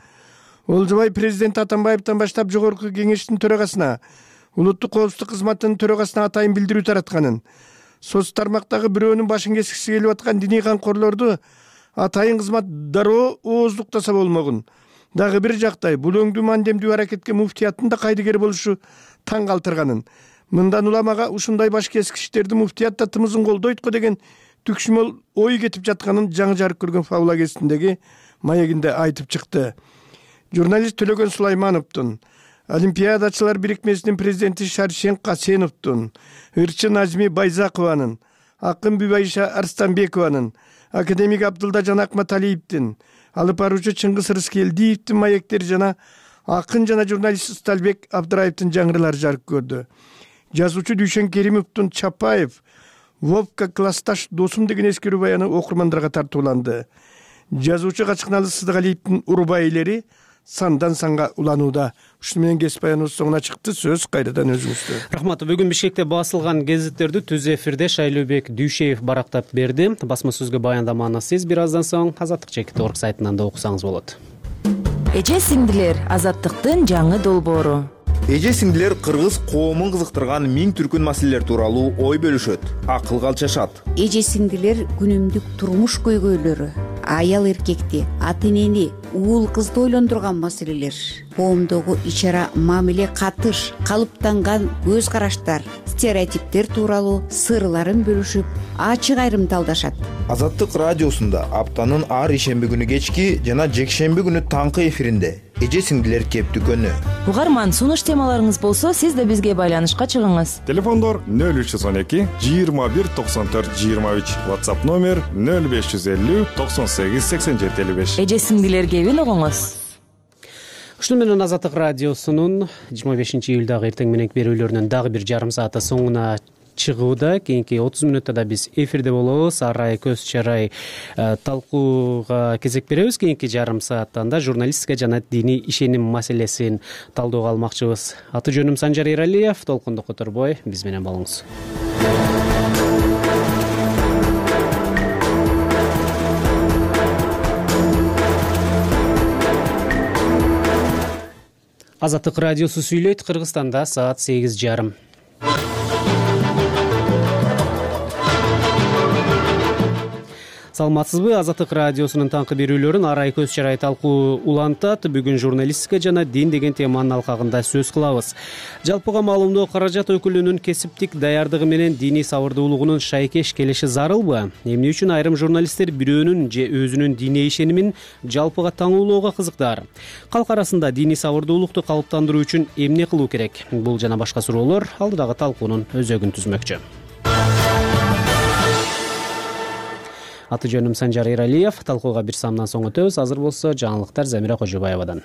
Олжобай президент Атамбаевден баштап жогорку кеңештин төрагасына, улуттук коопсуздук кызматынын төрагасына атайын билдирүү таратканын, соц тармактагы бирөөнүн башын кескиси келип аткан диний камкорлорду атайын кызмат дароо ооздуктаса болмогун. Дагы бир жактай бул өңдүү мандемдүү аракетке муфтияттын да кайдыгер болушу таң калтырганын, мындан уламага ушундай баш кескичтерди муфтият да тымызын колдойт го деген түкшүмөл ой кетип жатканын жаңы жарык көргөн Фабула гезитиндеги маегинде айтып чыкты. Журналист Төлөгөн Сулаймановдун, Олимпиадачылар бирикмесинин президенти Шаршен Касеновдун, ырчы Назми Байзакованын, акын Бүбайша Арстанбекованын, академик Абдылда Жанак Маталиевдин, алып баруучу Чыңгыз Рыскелдиевдин маектери жана акын жана журналист Сталбек Абдыраевдин жаңырылары жарык көрдү. Жазуучу Дүйшен Керимовдун Чапаев, Вовка классташ досум деген эскерүү баяны окурмандарга тартууланды. Жазуучу Качкыналы Сыдыгалиевдин урбайлери сандан санга уланууда. Ушуну менен кесип баяныбыз соңуна чыкты. Сөз кайрадан өзүңүздө. Рахмат. Бүгүн Бишкекте басылган гезиттерди түз эфирде Шайлообек Дүйшеев барактап берди. Басма сөзгө баяндаманы сиз бир аздан соң Азаттык Чекит.org сайтынан да окусаңыз болот. Эже сиңдилер, Азаттыктын жаңы долбоору. Эже сиңдилер кыргыз коомун кызыктырган миң түркүн маселелер тууралуу ой бөлүшөт, акыл калчашат. Эже сиңдилер күнүмдүк турмуш көйгөйлөрү, аял эркекти, ата энени, уул кызды ойлондурган маселелер, коомдогу ич-ара мамиле, катыш, калыптанган көз караштар, стереотиптер тууралуу сырларын бөлүшүп, ачык айрымдалдашат. Азаттык радиосунда аптанын ар ишемби күнү кечки жана жекшемби күнү таңкы эфиринде эже сиңдилер кептүкөнү. Угарман, сунуш темаларыңыз болсо, сиз да бизге байланышка чыгыңыз. Телефондор 0312 21 94 23, WhatsApp номер 0550 98 87 55. Эже сиңдилер кебин угуңуз. Ушуну менен Азаттык радиосунун 25-июлдагы эртең мененки берүүлөрүнүн дагы бир жарым сааты соңуна чыгууда. Кийинки 30 мүнөттө да биз эфирде болобуз. Арай көз чарай талкууга кезек беребиз. Кийинки жарым сааттан да журналистика жана диний ишеним маселесин талдөөгө алмакчыбыз. Аты жөнүм Санжар Эралиев. Толкунду которбой биз менен болуңуз. Азаттык радиосу сүйлөйт. Кыргызстанда саат 8:30. Саламатсызбы? Азаттык радиосунун таңкы берүүлөрүн Арай көз чарай талкуу улантат. Бүгүн журналистика жана дин деген теманын алкагында сөз кылабыз. Жалпыга маалымдоо каражат өкүлүнүн кесиптик даярдыгы менен диний сабырдуулугунун шайкеш келиши зарылбы? Эмне үчүн айрым журналисттер бирөөнүн же өзүнүн диний ишенимин жалпыга таңуулоого кызыктаар? Калк арасында диний сабырдуулукту калыптандыруу үчүн эмне кылуу керек? Бул жана башка суроолор алдыдагы талкуунун өзөгүн түзмөкчү. Аты жөнүм Санжар Эралиев. Талкууга бир самдан соң өтөбүз. Азыр болсо жаңылыктар Замира Кожобаевадан.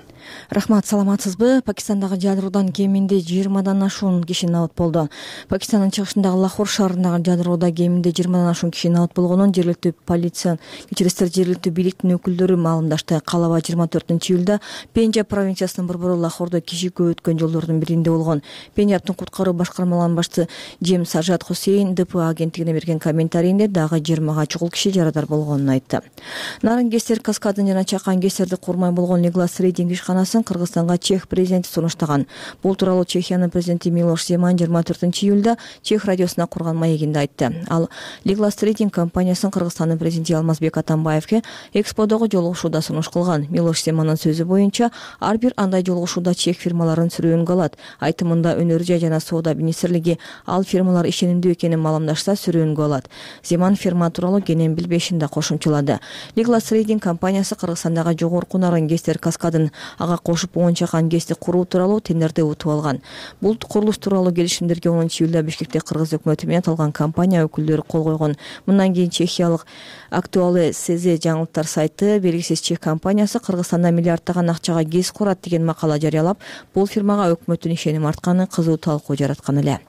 Рахмат, саламатсызбы? Пакистандагы жадыроодан кеминде 20дан ашуун киши набыт болду. Пакистандын чыгышындагы Лахор шаарындагы жадыроода кеминде 20дан ашуун киши набыт болгонун жергиликтүү полиция, жергиликтүү бийликтин өкүлдөрү маалымдашты. Калаба 24-июлда Пенджаб провинциясынын борбору Лахордо киши көп өткөн жолдордун биринде болгон. Пенджабтын куткаруу башкармаларынын башчысы Джем Сажат Хусейн ДПА агенттигине берген комментарийинде дагы 20га чукул киши болгонун айтты. Нарын Гестер каскадын жана чакан Гестерди курмай болгон Лиглас Рейдинг ишканасын Кыргызстанга Чех президенти сунуштаган. Бул тууралуу Чехиянын президенти Милош Земан 24-июлда Чех радиосуна курган маегинде айтты. Ал Лиглас Рейдинг компаниясын Кыргызстандын президенти Алмазбек Атамбаевге эксподогу жолугушууда сунуш кылган. Милош Земандын сөзү боюнча, ар бир андай жолугушууда Чех фирмаларын сүрөөнгө алат. Айтымында өнөр жай жана соода министрлиги ал фирмалар ишенимдүү экенин маалымдашса сүрөөнгө алат. Земан фирма тууралуу кенен билбешин да кошумчалады. Лиглас Рейдинг компаниясы Кыргызстандагы жогорку Нарын Гестер каскадын ага кошуп 10 чакан гести куруу тууралуу тендерди утуп алган. Бул курулуш тууралуу келишимдерге 10-июлда Бишкекте кыргыз өкмөтү менен аталган компания өкүлдөрү кол койгон. Мындан кийин чехиялык Актуалы СЗ жаңылыктар сайты белгисиз Чех компаниясы Кыргызстанда миллиардтаган акчага гез курат деген макала жарыялап, бул фирмага өкмөттүн ишеним артканы кызуу талкуу жараткан эле.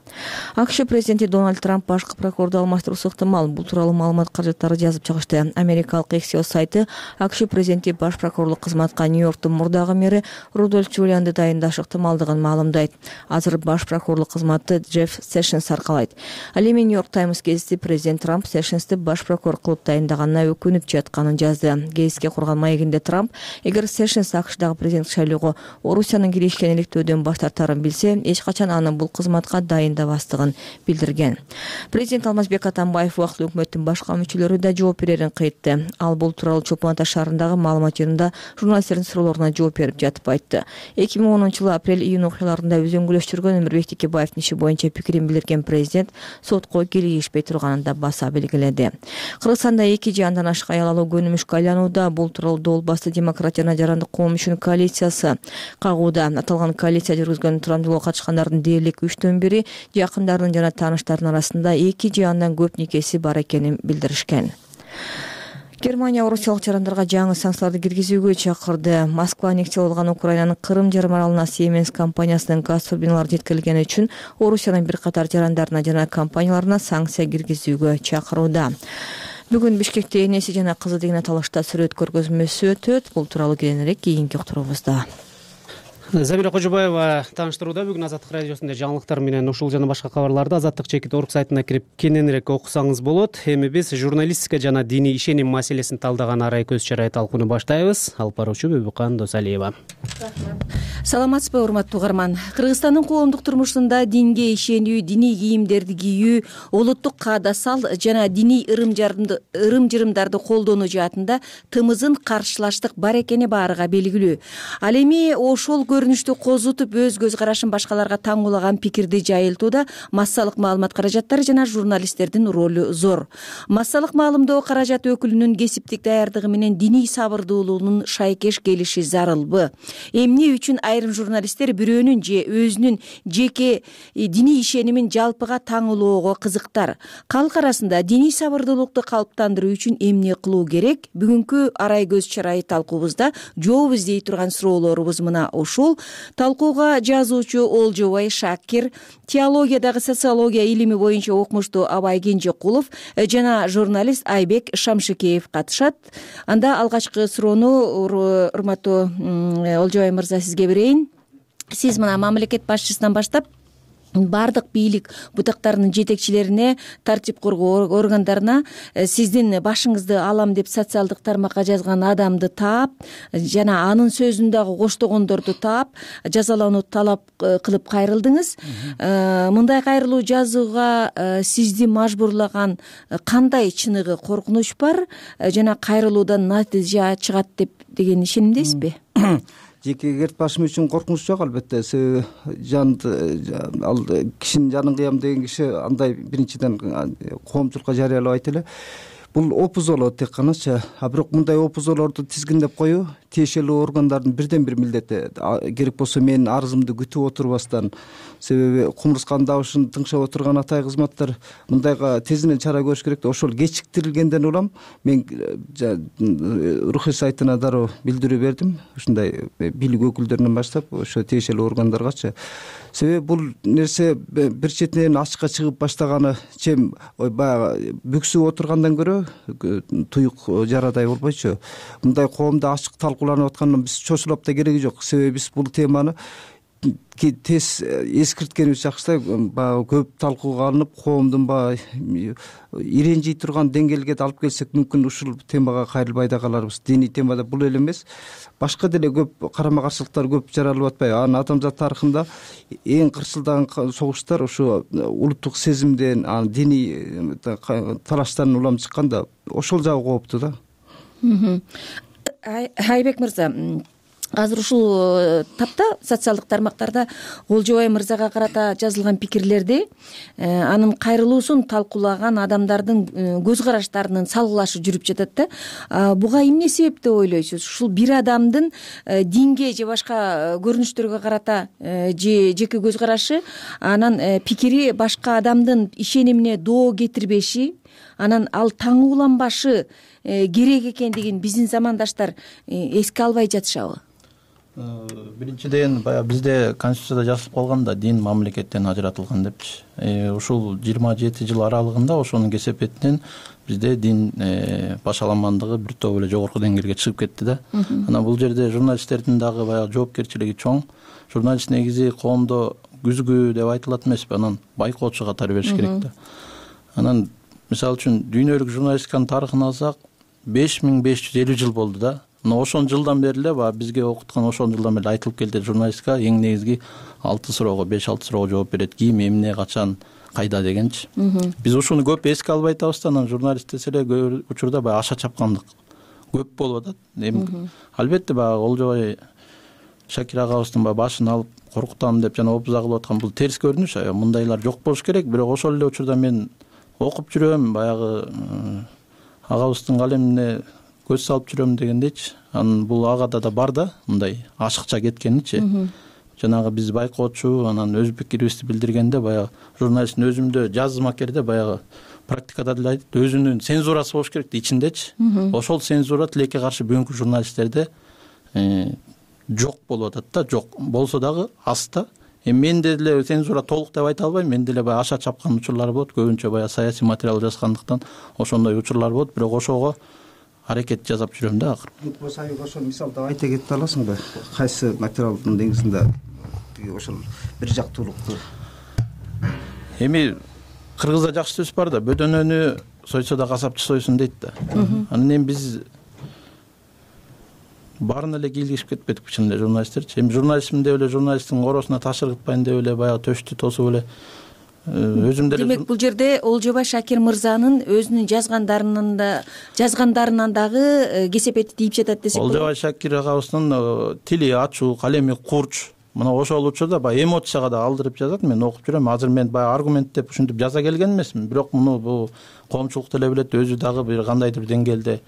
АКШ президенти Дональд Трамп башкы прокурорду алмаштыруусу ыктымал. Бул тууралуу маалымат каражаттары жазып чыгышты. Америкалык Axios сайты АКШ президенти баш прокурорлук кызматка Нью-Йорктун мурдагы мэри Рудольф Джулианды дайындаш ыктымалдыгын маалымдайт. Азыр баш прокурорлук кызматты Джефф Сэшнс аркалайт. Ал эми Нью-Йорк Таймс гезити президент Трамп Сэшнсти баш прокурор кылып дайындаганына өкүнүп жатканын жазды. Гезитке курган маегинде Трамп, эгер Сэшнс АКШдагы президенттик шайлоого Орусиянын киришкен иликтөөдөн баш тартарын билсе, эч качан аны бул кызматка дайындабастыгын билдирген. Президент Алмазбек Атамбаев убактылуу өкмөттүн башка мүчөлөрү да жооп берерин кыйтты. Ал бул тууралуу Чолпон Ата шаарындагы маалымат жыйынында журналисттердин суроолоруна жооп берип жатып айтты. 2010-жылы апрель-июнь окуяларында өзөңгүлөш жүргөн Өмүрбек Текебаевдин иши боюнча пикирин билдирген президент сотко кийлигишпей турганын да баса белгиледи. Кыргызстанда 2 же андан ашык аял алуу көнүмүшкө айланууда. Бул тууралуу Дол басты демократ жана жарандык коом үчүн коалициясы кагууда. Аталган коалиция жүргүзгөн турамдуулукка катышкандардын дээрлик 3төн бири жакындарынын жана тааныштарынын арасында 2 же андан көп никеси бар экенин билдиришкен. Германия орусиялык жарандарга жаңы санкцияларды киргизүүгө чакырды. Москва аннексиялап алган Украинанын Крым жарым аралына Siemens компаниясынын газ турбиналары жеткирилгени үчүн Орусиянын бир катар жарандарына жана компанияларына санкция киргизүүгө чакырууда. Бүгүн Бишкекте энеси жана кызы деген аталышта сүрөт көргөзмөсү өтөт. Бул тууралуу кийинирээк кийинки уктуруубузда. Забира Кожобаева тааныштырууда. Бүгүн Азаттык радиосунда жаңылыктар менен ушул жана башка кабарларды Азаттык /org сайтына кирип кененирээк окусаңыз болот. Эми биз журналистика жана диний ишеним маселесин талдаган арай көз чарай талкууну баштайбыз. Алып баруучу Бөбүкан Досалиева. Саламатсызбы урматтуу угарман. Кыргызстандын коомдук турмушунда динге ишенүү, диний кийимдерди кийүү, улуттук каада сал жана диний ырым-жырымдарды колдонуу жаатында тымызын каршылаштык бар экени баарыга белгилүү. Ал эми ошол көрүнүштү козутуп өз көз карашын башкаларга таңуулаган пикирди жайылтууда массалык маалымат каражаттары жана журналисттердин ролу зор. Массалык маалымдоо каражаты өкүлүнүн кесиптик даярдыгы менен диний сабырдуулугунун шайкеш келиши зарылбы? Эмне үчүн айрым журналисттер бирөөнүн же өзүнүн жеке диний ишенимин жалпыга таңуулоого кызыктар? Калк арасында диний сабырдуулукту калыптандыруу үчүн эмне кылуу керек? Бүгүнкү арай көз чарайы талкуубузда жооп издей турган суроолорубуз мына ушул. Талкууга жазуучу Олжобай Шакир, теологиядагы социология илими боюнча окумуштуу Абай Кенжекулов жана журналист Айбек Шамшыкеев катышат. Анда алгачкы суроону урматтуу Олжобай мырза сизге берейин. Сиз мына мамлекет башчысынан баштап бардык бийлик бутактарынын жетекчилерине, тартип коргоо органдарына сиздин башыңызды алам деп социалдык тармакка жазган адамды таап жана анын сөзүн дагы коштогондорду таап жазалоону талап кылып кайрылдыңыз. Мындай кайрылуу жазууга сизди мажбурлаган кандай чыныгы коркунуч бар жана кайрылуудан натыйжа чыгат деген ишенимдесизби? Жеке керт башым үчүн коркунуч жок, албетте. Себеби ал кишинин жанын кыям деген киши андай биринчиден коомчулукка жарыялабайт эле. Бул опузолоо тек каначы. А бирок мындай опузолорду тизгиндеп коюу тиешелүү органдардын бирден бир милдети. Керек болсо менин арызымды күтүп отурбастан, себеби кумурсканын добушун тыңшап отурган атай кызматтар мындайга тезинен чара көрүш керек. Ошол кечиктирилгенден улам мен рухий сайтына дароо билдирүү бердим. Ушундай бийлик өкүлдөрүнөн баштап ошо тиешелүү органдаргачы. Себеби бул нерсе бир четинен ачыкка чыгып баштаганы чем баягы бүксүп отургандан көрө туюк жарадай болбойчу. Мындай коомдо ачык талкууланып аткандан биз чочулап да кереги жок. Себеби биз бул теманы тез эскирткенибиз жакшы. Баягы көп талкууга алынып, коомдун баягы иренжий турган деңгээлге да алып келсек мүмкүн ушул темага кайрылбай да каларбыз. Диний темада бул эле эмес, башка деле көп карама каршылыктар көп жаралып атпайбы? Анын адамзат тарыхында эң кырсылдаган согуштар ушу улуттук сезимден, диний талаштан улам чыкканда ошол жагы кооптуу да. Айбек мырза, азыр ушул тапта социалдык тармактарда Олжобай мырзага карата жазылган пикирлерди анын кайрылуусун талкуулаган адамдардын көз караштарынын салгылашы жүрүп жатат да. Буга эмне себеп деп ойлойсуз? Ушул бир адамдын динге же башка көрүнүштөргө карата же жеке көз карашы, анан пикири башка адамдын ишенимине доо кетирбеши, анан ал таңууланбашы керек экендигин биздин замандаштар эске албай жатышабы? Биринчиден баягы бизде конституцияда жазылып калган да, дин мамлекеттен ажыратылган депчи. Ушул 27 жыл аралыгында ошонун кесепетинен бизде дин башаламандыгы бир топ эле жогорку деңгээлге чыгып кетти да. Анан бул жерде журналисттердин дагы баягы жоопкерчилиги чоң. Журналист негизи коомдо күзгү деп айтылат эмеспи, анан байкоочу катары бериш керек да. Анан мисалы үчүн дүйнөлүк журналистиканын тарыхын алсак 5550 жыл болду да. Ошон жылдан бери эле бизге окуткан ошон жылдан бери айтылып келди, журналистика эң негизги 6 суроого, 5-6 суроого жооп берет. Ким, эмне, качан, кайда дегенчи. Биз ушуну көп эске албай атабыз да, анан журналист десе эле көп учурда баягы аша чапкандык көп болуп атат. Албетте баягы Олжобай Шакир агабыздын башын алып коркутам деп жана опуза кылып аткан бул терс көрүнүш. Мындайлар жок болуш керек. Бирок ошол эле учурда мен окуп жүрөм, баягы агабыздын калемине көз салып жүрөм дегендейчи. Анан бул агада да бар да, мындай ашыкча кеткеничи. Жанагы биз байкоочу, анан өз пикирибизди билдиргенде баягы журналисттин өзүмдө жазма керде баягы практикада деле айтат, өзүнүн цензурасы болуш керек ичиндечи. Ошол цензура тилекке каршы бүгүнкү журналисттерде жок болуп атат да, жок. Болсо дагы аз да. Менде деле цензура толук деп айта албайм. Менде деле баягы аша чапкан учурлар болот. Көбүнчө баягы саясий материал жазгандыктан ошондой учурлар болот. Бирок ошого аракет жасап жүрөм да. Акыркы болсо ошол мисалды айта кетип аласыңбы? Кайсы материалдын негизинде ошол бир жактуулукту? Эми кыргызда жакшы сөз бар да, бөдөнөнү сойсо да касапчы сойсун дейт да. Анан эми биз баарына эле кийлигишип кетпедикпи чын эле журналисттерчи? Эми журналистмин деп эле журналисттин коросуна таш ыргытпайын деп эле баягы төштү тосуп эле өзүм деле. Демек бул жерде Олжобай Шакир мырзанын өзүнүн жазгандарынан дагы кесепети тийип жатат десек болот. Олжобай Шакир агабыздын тили ачуу, калеми курч. Мына ошол учурда баягы эмоцияга да алдырып жазат. Мен окуп жүрөм. Азыр мен баягы аргументтеп ушинтип жаза келген эмесмин. Бирок муну бул коомчулук деле билет, өзү дагы бир кандайдыр деңгээлде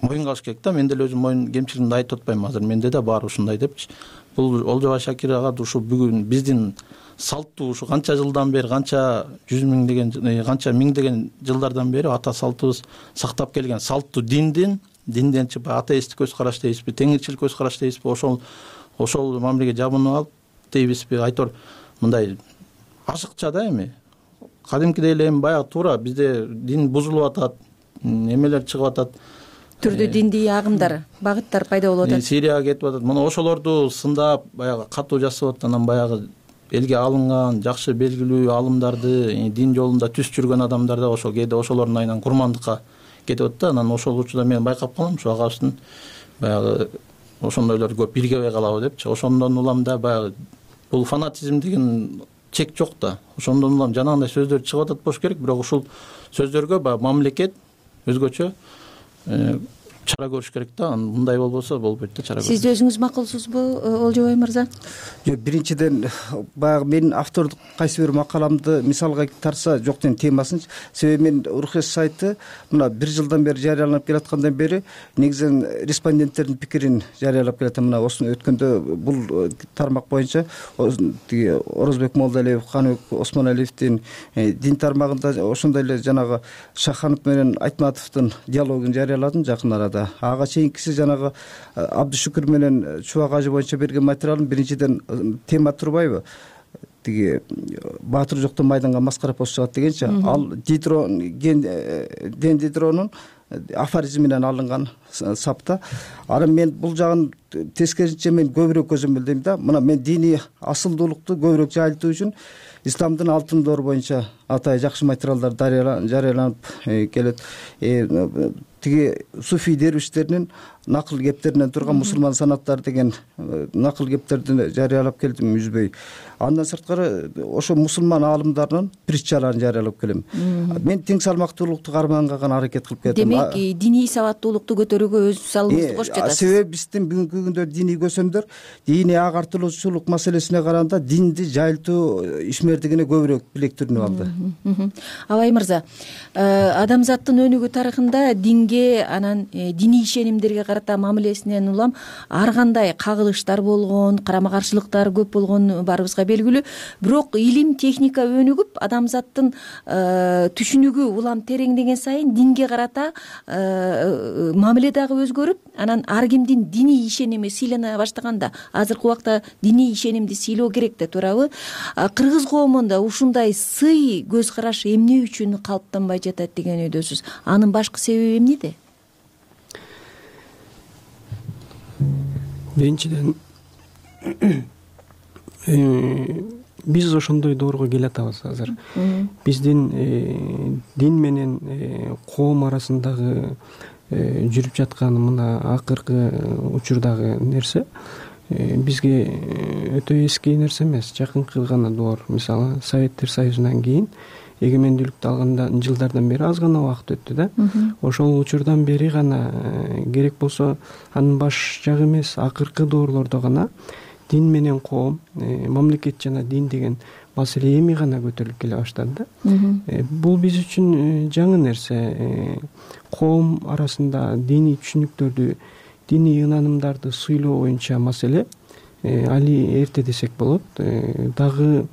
моюнга алыш керек да. Мен деле өзүм моюн кемчилигимди айтып атпайм. Азыр менде да бар ушундай депчи. Бул Олжобай Шакир ага ушу бүгүн биздин салттуу ушу канча жылдан бери, канча жүз канча миңдеген жылдардан бери ата салтыбыз сактап келген салттуу динден чыгып атеисттик көз караш дейбизби, теңирчилик көз караш дейбизби, ошол мамилеге жабынып алып дейбизби, айтор мындай ашыкча да. Эми кадимкидей эле эми баягы туура бизде дин бузулуп атат, эмелер чыгып атат, түрдүү диндий агымдар, багыттар пайда болуп атат. Сирияга кетип атат. Мына ошолорду сындап баягы катуу жасап атат. Анан баягы элге алынган жакшы белгилүү алымдарды, дин жолунда түз жүргөн адамдар да ошол кээде ошолордун айынан курмандыкка кетип атат да. Анан ошол учурда мен байкап калам, ушу агабыздын баягы ошондойлор көп биргебей калабы депчи. Ошондон улам да баягы бул фанатизм деген чек жок да. Ошондон улам жанагындай сөздөр чыгып атат болуш керек, бирок ушул сөздөргө баягы мамлекет өзгөчө чара көрүш керек да. Мындай болбосо болбойт да, чара көрүш. Сиз өзүңүз макулсузбу, Олжобай мырза? Жок, биринчиден баягы менин автордук кайсы бир макаламды мисалга тарса жок деген темасынчы. Себеби мен Урхес сайты мына 1 жылдан бери жарыяланып келаткандан бери негизинен респонденттердин пикирин жарыялап келатам. Мына осуну өткөндө бул тармак боюнча тиги Орозбек Молдалиев, Каныбек Осмоналиевдин дин тармагында ошондой эле жанагы Шаханов менен Айтматовдун диалогун жарыяладым жакын арада. Ага чейинкиси жанагы Абдышүкүр менен Чубак ажы боюнча берген материалым биринчиден тема турбайбы? Тиги баатыр жоктон майданга маскара пост чыгат дегенчи. Ал Дидронун афоризминен алынган сапта. Анан мен бул жагын тескерисинче мен көбүрөөк көзөмөлдөйм да. Мына мен диний асылдуулукту көбүрөөк жайылтуу үчүн исламдын алтын доору боюнча атайын жакшы материалдар жарыяланып келет. Тиги суфий дервиштеринин накыл кептеринен турган мусулман санаттар деген накыл кептерди жарыялап келдим үзбөй. Андан сырткары ошо мусулман аалымдарынын притчаларын жарыялап келем. Мен тең салмактуулукту карманга аракет кылып келдим. Демек, диний сабаттуулукту көтөрүүгө өз салымыңызды кошуп жатасыз. Себеби биздин бүгүнкү күндө диний көсөмдөр диний агартылуучулук маселесине караганда динди жайылтуу ишмердигине көбүрөөк билектиринип алды. Абай мырза, адамзаттын өнүгүү тарыхында динге, анан диний ишенимдерге карата мамилесинен улам ар кандай кагылыштар болгон, карама каршылыктар көп болгон баарыбызга белгилүү. Бирок илим, техника өнүгүп, адамзаттын түшүнүгү улам тереңдеген сайын динге карата мамиле дагы өзгөрүп, анан ар кимдин диний ишеними сыйлана баштаганда, азыркы убакта диний ишенимди сыйлоо керек да, туурабы? Кыргыз коомунда ушундай сый көз караш эмне үчүн калыптанбай жатат деген өйдөсүз? Анын башкы себеби эмнеде? Биринчиден биз ошондой доорго келатабыз азыр. Биздин дин менен коом арасындагы жүрүп жаткан мына акыркы учурдагы нерсе бизге өтө эски нерсе эмес, жакынкы гана доор. Мисалы Советтер Союзунан кийин эгемендүүлүктү алган жылдардан бери аз гана убакыт өттү да. Ошол учурдан бери гана керек болсо анын баш жагы эмес, акыркы доорлордо гана дин менен коом, мамлекет жана дин деген маселе эми гана көтөрүлүп келе баштады да. Бул биз үчүн жаңы нерсе. Коом арасында диний түшүнүктөрдү, диний ынанымдарды сыйлоо боюнча маселе али эрте десек болот. Дагы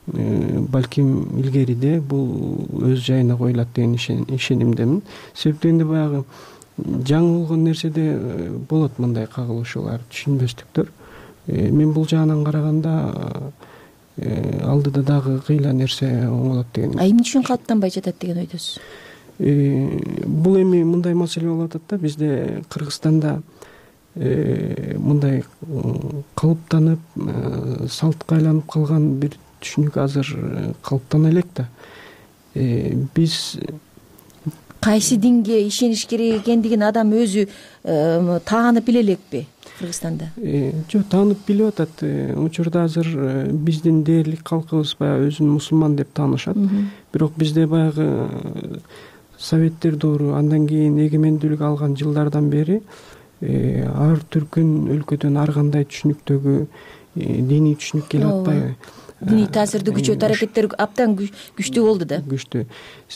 балким илгериде бул өз жайына коюлат деген ишенимдемин. Себеби дегенде баягы жаңы болгон нерседе болот мындай кагылышуулар, түшүнбөстүктөр. Мен бул жагынан караганда алдыда дагы кыйла нерсе оңолот деген. Эмне үчүн калыптанбай жатат деген ойдосуз? Бул эми мындай маселе болуп атат да, бизде Кыргызстанда мындай калыптанып, салтка айланып калган бир түшүнүк азыр калыптана элек да. Биз кайсы динге ишениш керек экендигин адам өзү таанып биле элекпи Кыргызстанда? Жок, таанып билип атат. Учурда азыр биздин дээрлик калкыбыз баягы өзүн мусулман деп таанышат. Бирок бизде баягы Советтер доору, андан кийин эгемендүүлүк алган жылдардан бери ар түркүн өлкөдөн ар кандай түшүнүктөгү диний түшүнүк келип атпайбы? Диний таасирди күчөтүү аракеттери абдан күчтүү болду да. Күчтүү.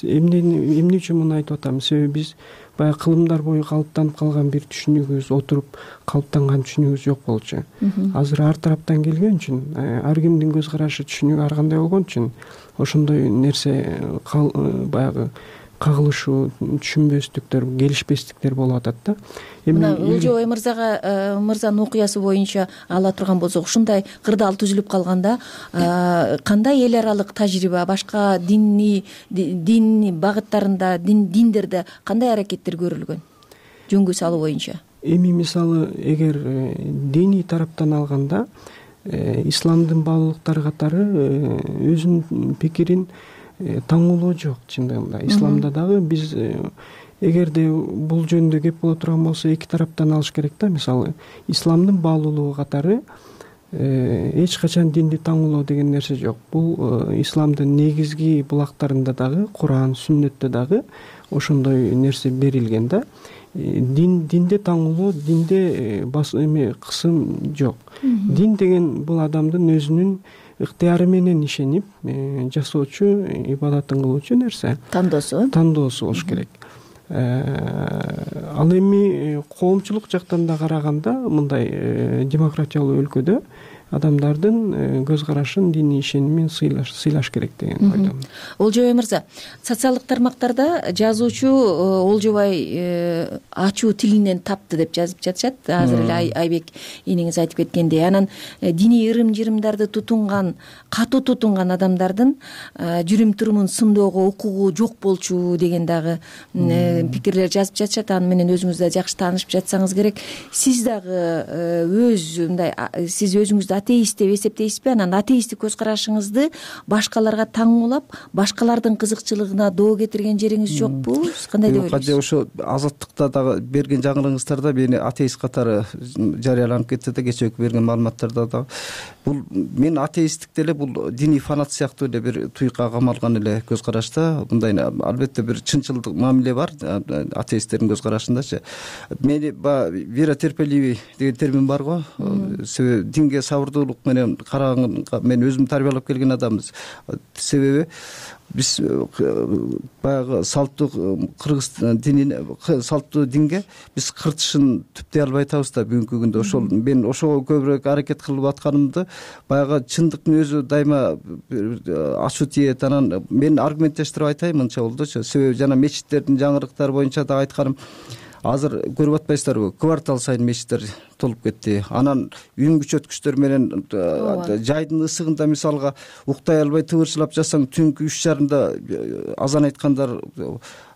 Эмне үчүн муну айтып атам? Себеби биз баягы кылымдар бою калыптанып калган бир түшүнүгүбүз, отуруп калыптанган түшүнүгүбүз жок болчу. Азыр ар тараптан келген үчүн, ар кимдин көз карашы, түшүнүгү ар кандай болгон үчүн ошондой нерсе баягы кагылышуу, түшүнбөстүктөр, келишпестиктер болуп атат да. Мына Олжобай мырзанын окуясы боюнча ала турган болсок, ушундай кырдаал түзүлүп калганда кандай эл аралык тажрыйба, башка дин багыттарында, диндерде кандай аракеттер көрүлгөн жөнгө салуу боюнча? Эми мисалы эгер диний тараптан алганда, исламдын баалуулуктары катары өзүнүн пикирин таңуулоо жок чындыгында. Исламда дагы биз эгерде бул жөнүндө кеп боло турган болсо, эки тараптан алыш керек да. Мисалы исламдын баалуулугу катары эч качан динди таңуулоо деген нерсе жок. Бул исламдын негизги булактарында дагы, Куран, Сүннөттө дагы ошондой нерсе берилген да. Динде таңуулоо, динде кысым жок. Дин деген бул адамдын өзүнүн ыктыяры менен ишенип жасоочу, ибадатын кылуучу нерсе. Тандоосу болуш керек. Ал эми коомчулук жактан да караганда, мындай демократиялуу өлкөдө адамдардын көз карашын, диний ишенимин сыйлаш керек деген ойдомун. Олжобай мырза, социалдык тармактарда жазуучу Олжобай ачуу тилинен тапты деп жазып жатышат. Азыр эле Айбек энеңиз айтып кеткендей, анан диний ырым-жырымдарды катуу тутунган адамдардын жүрүм-турумун сындоого укугу жок болчу деген дагы пикирлер жазып жатышат. Аны менен өзүңүз да жакшы таанышып жатсаңыз керек. Сиз дагы сиз өзүңүздү атеист деп эсептейсизби? Анан атеисттик көз карашыңызды башкаларга таңуулап, башкалардын кызыкчылыгына доо кетирген жериңиз жокпу? Кандай деп ойлойсуз? Ошо Азаттыкта дагы берген жаңылыгыңыздарда мени атеист катары жарыяланып кетти да, кечээки берген маалыматтарда дагы. Бул мен атеисттикти эле бул диний фанат сыяктуу эле бир туйукка камалган эле көз карашта. Мындай албетте бир чынчылдык мамиле бар атеисттердин көз карашындачы. Мени вера терпеливый деген термин бар го. Себеби динге сабырдуулук менен караганга мен өзүм тарбиялап келген адамбыз. Себеби биз баягы салттуу кыргыз динин, салттуу динге биз кыртышын түптөй албай атабыз да бүгүнкү күндө. Ошол мен ошого көбүрөөк аракет кылып атканымды, баягы чындыктын өзү дайыма ачуу тиет. Анан мен аргументтештирип айтайын, мынча болдучу. Себеби жана мечиттердин жаңырыктары боюнча да айтканым, азыр көрүп атпайсыздарбы, квартал сайын мечиттер толуп кетти. Анан үн күчөткүчтөр менен жайдын ысыгында мисалга уктай албай тыбырчылап жатсаң, түнкү 3:30 азан айткандар,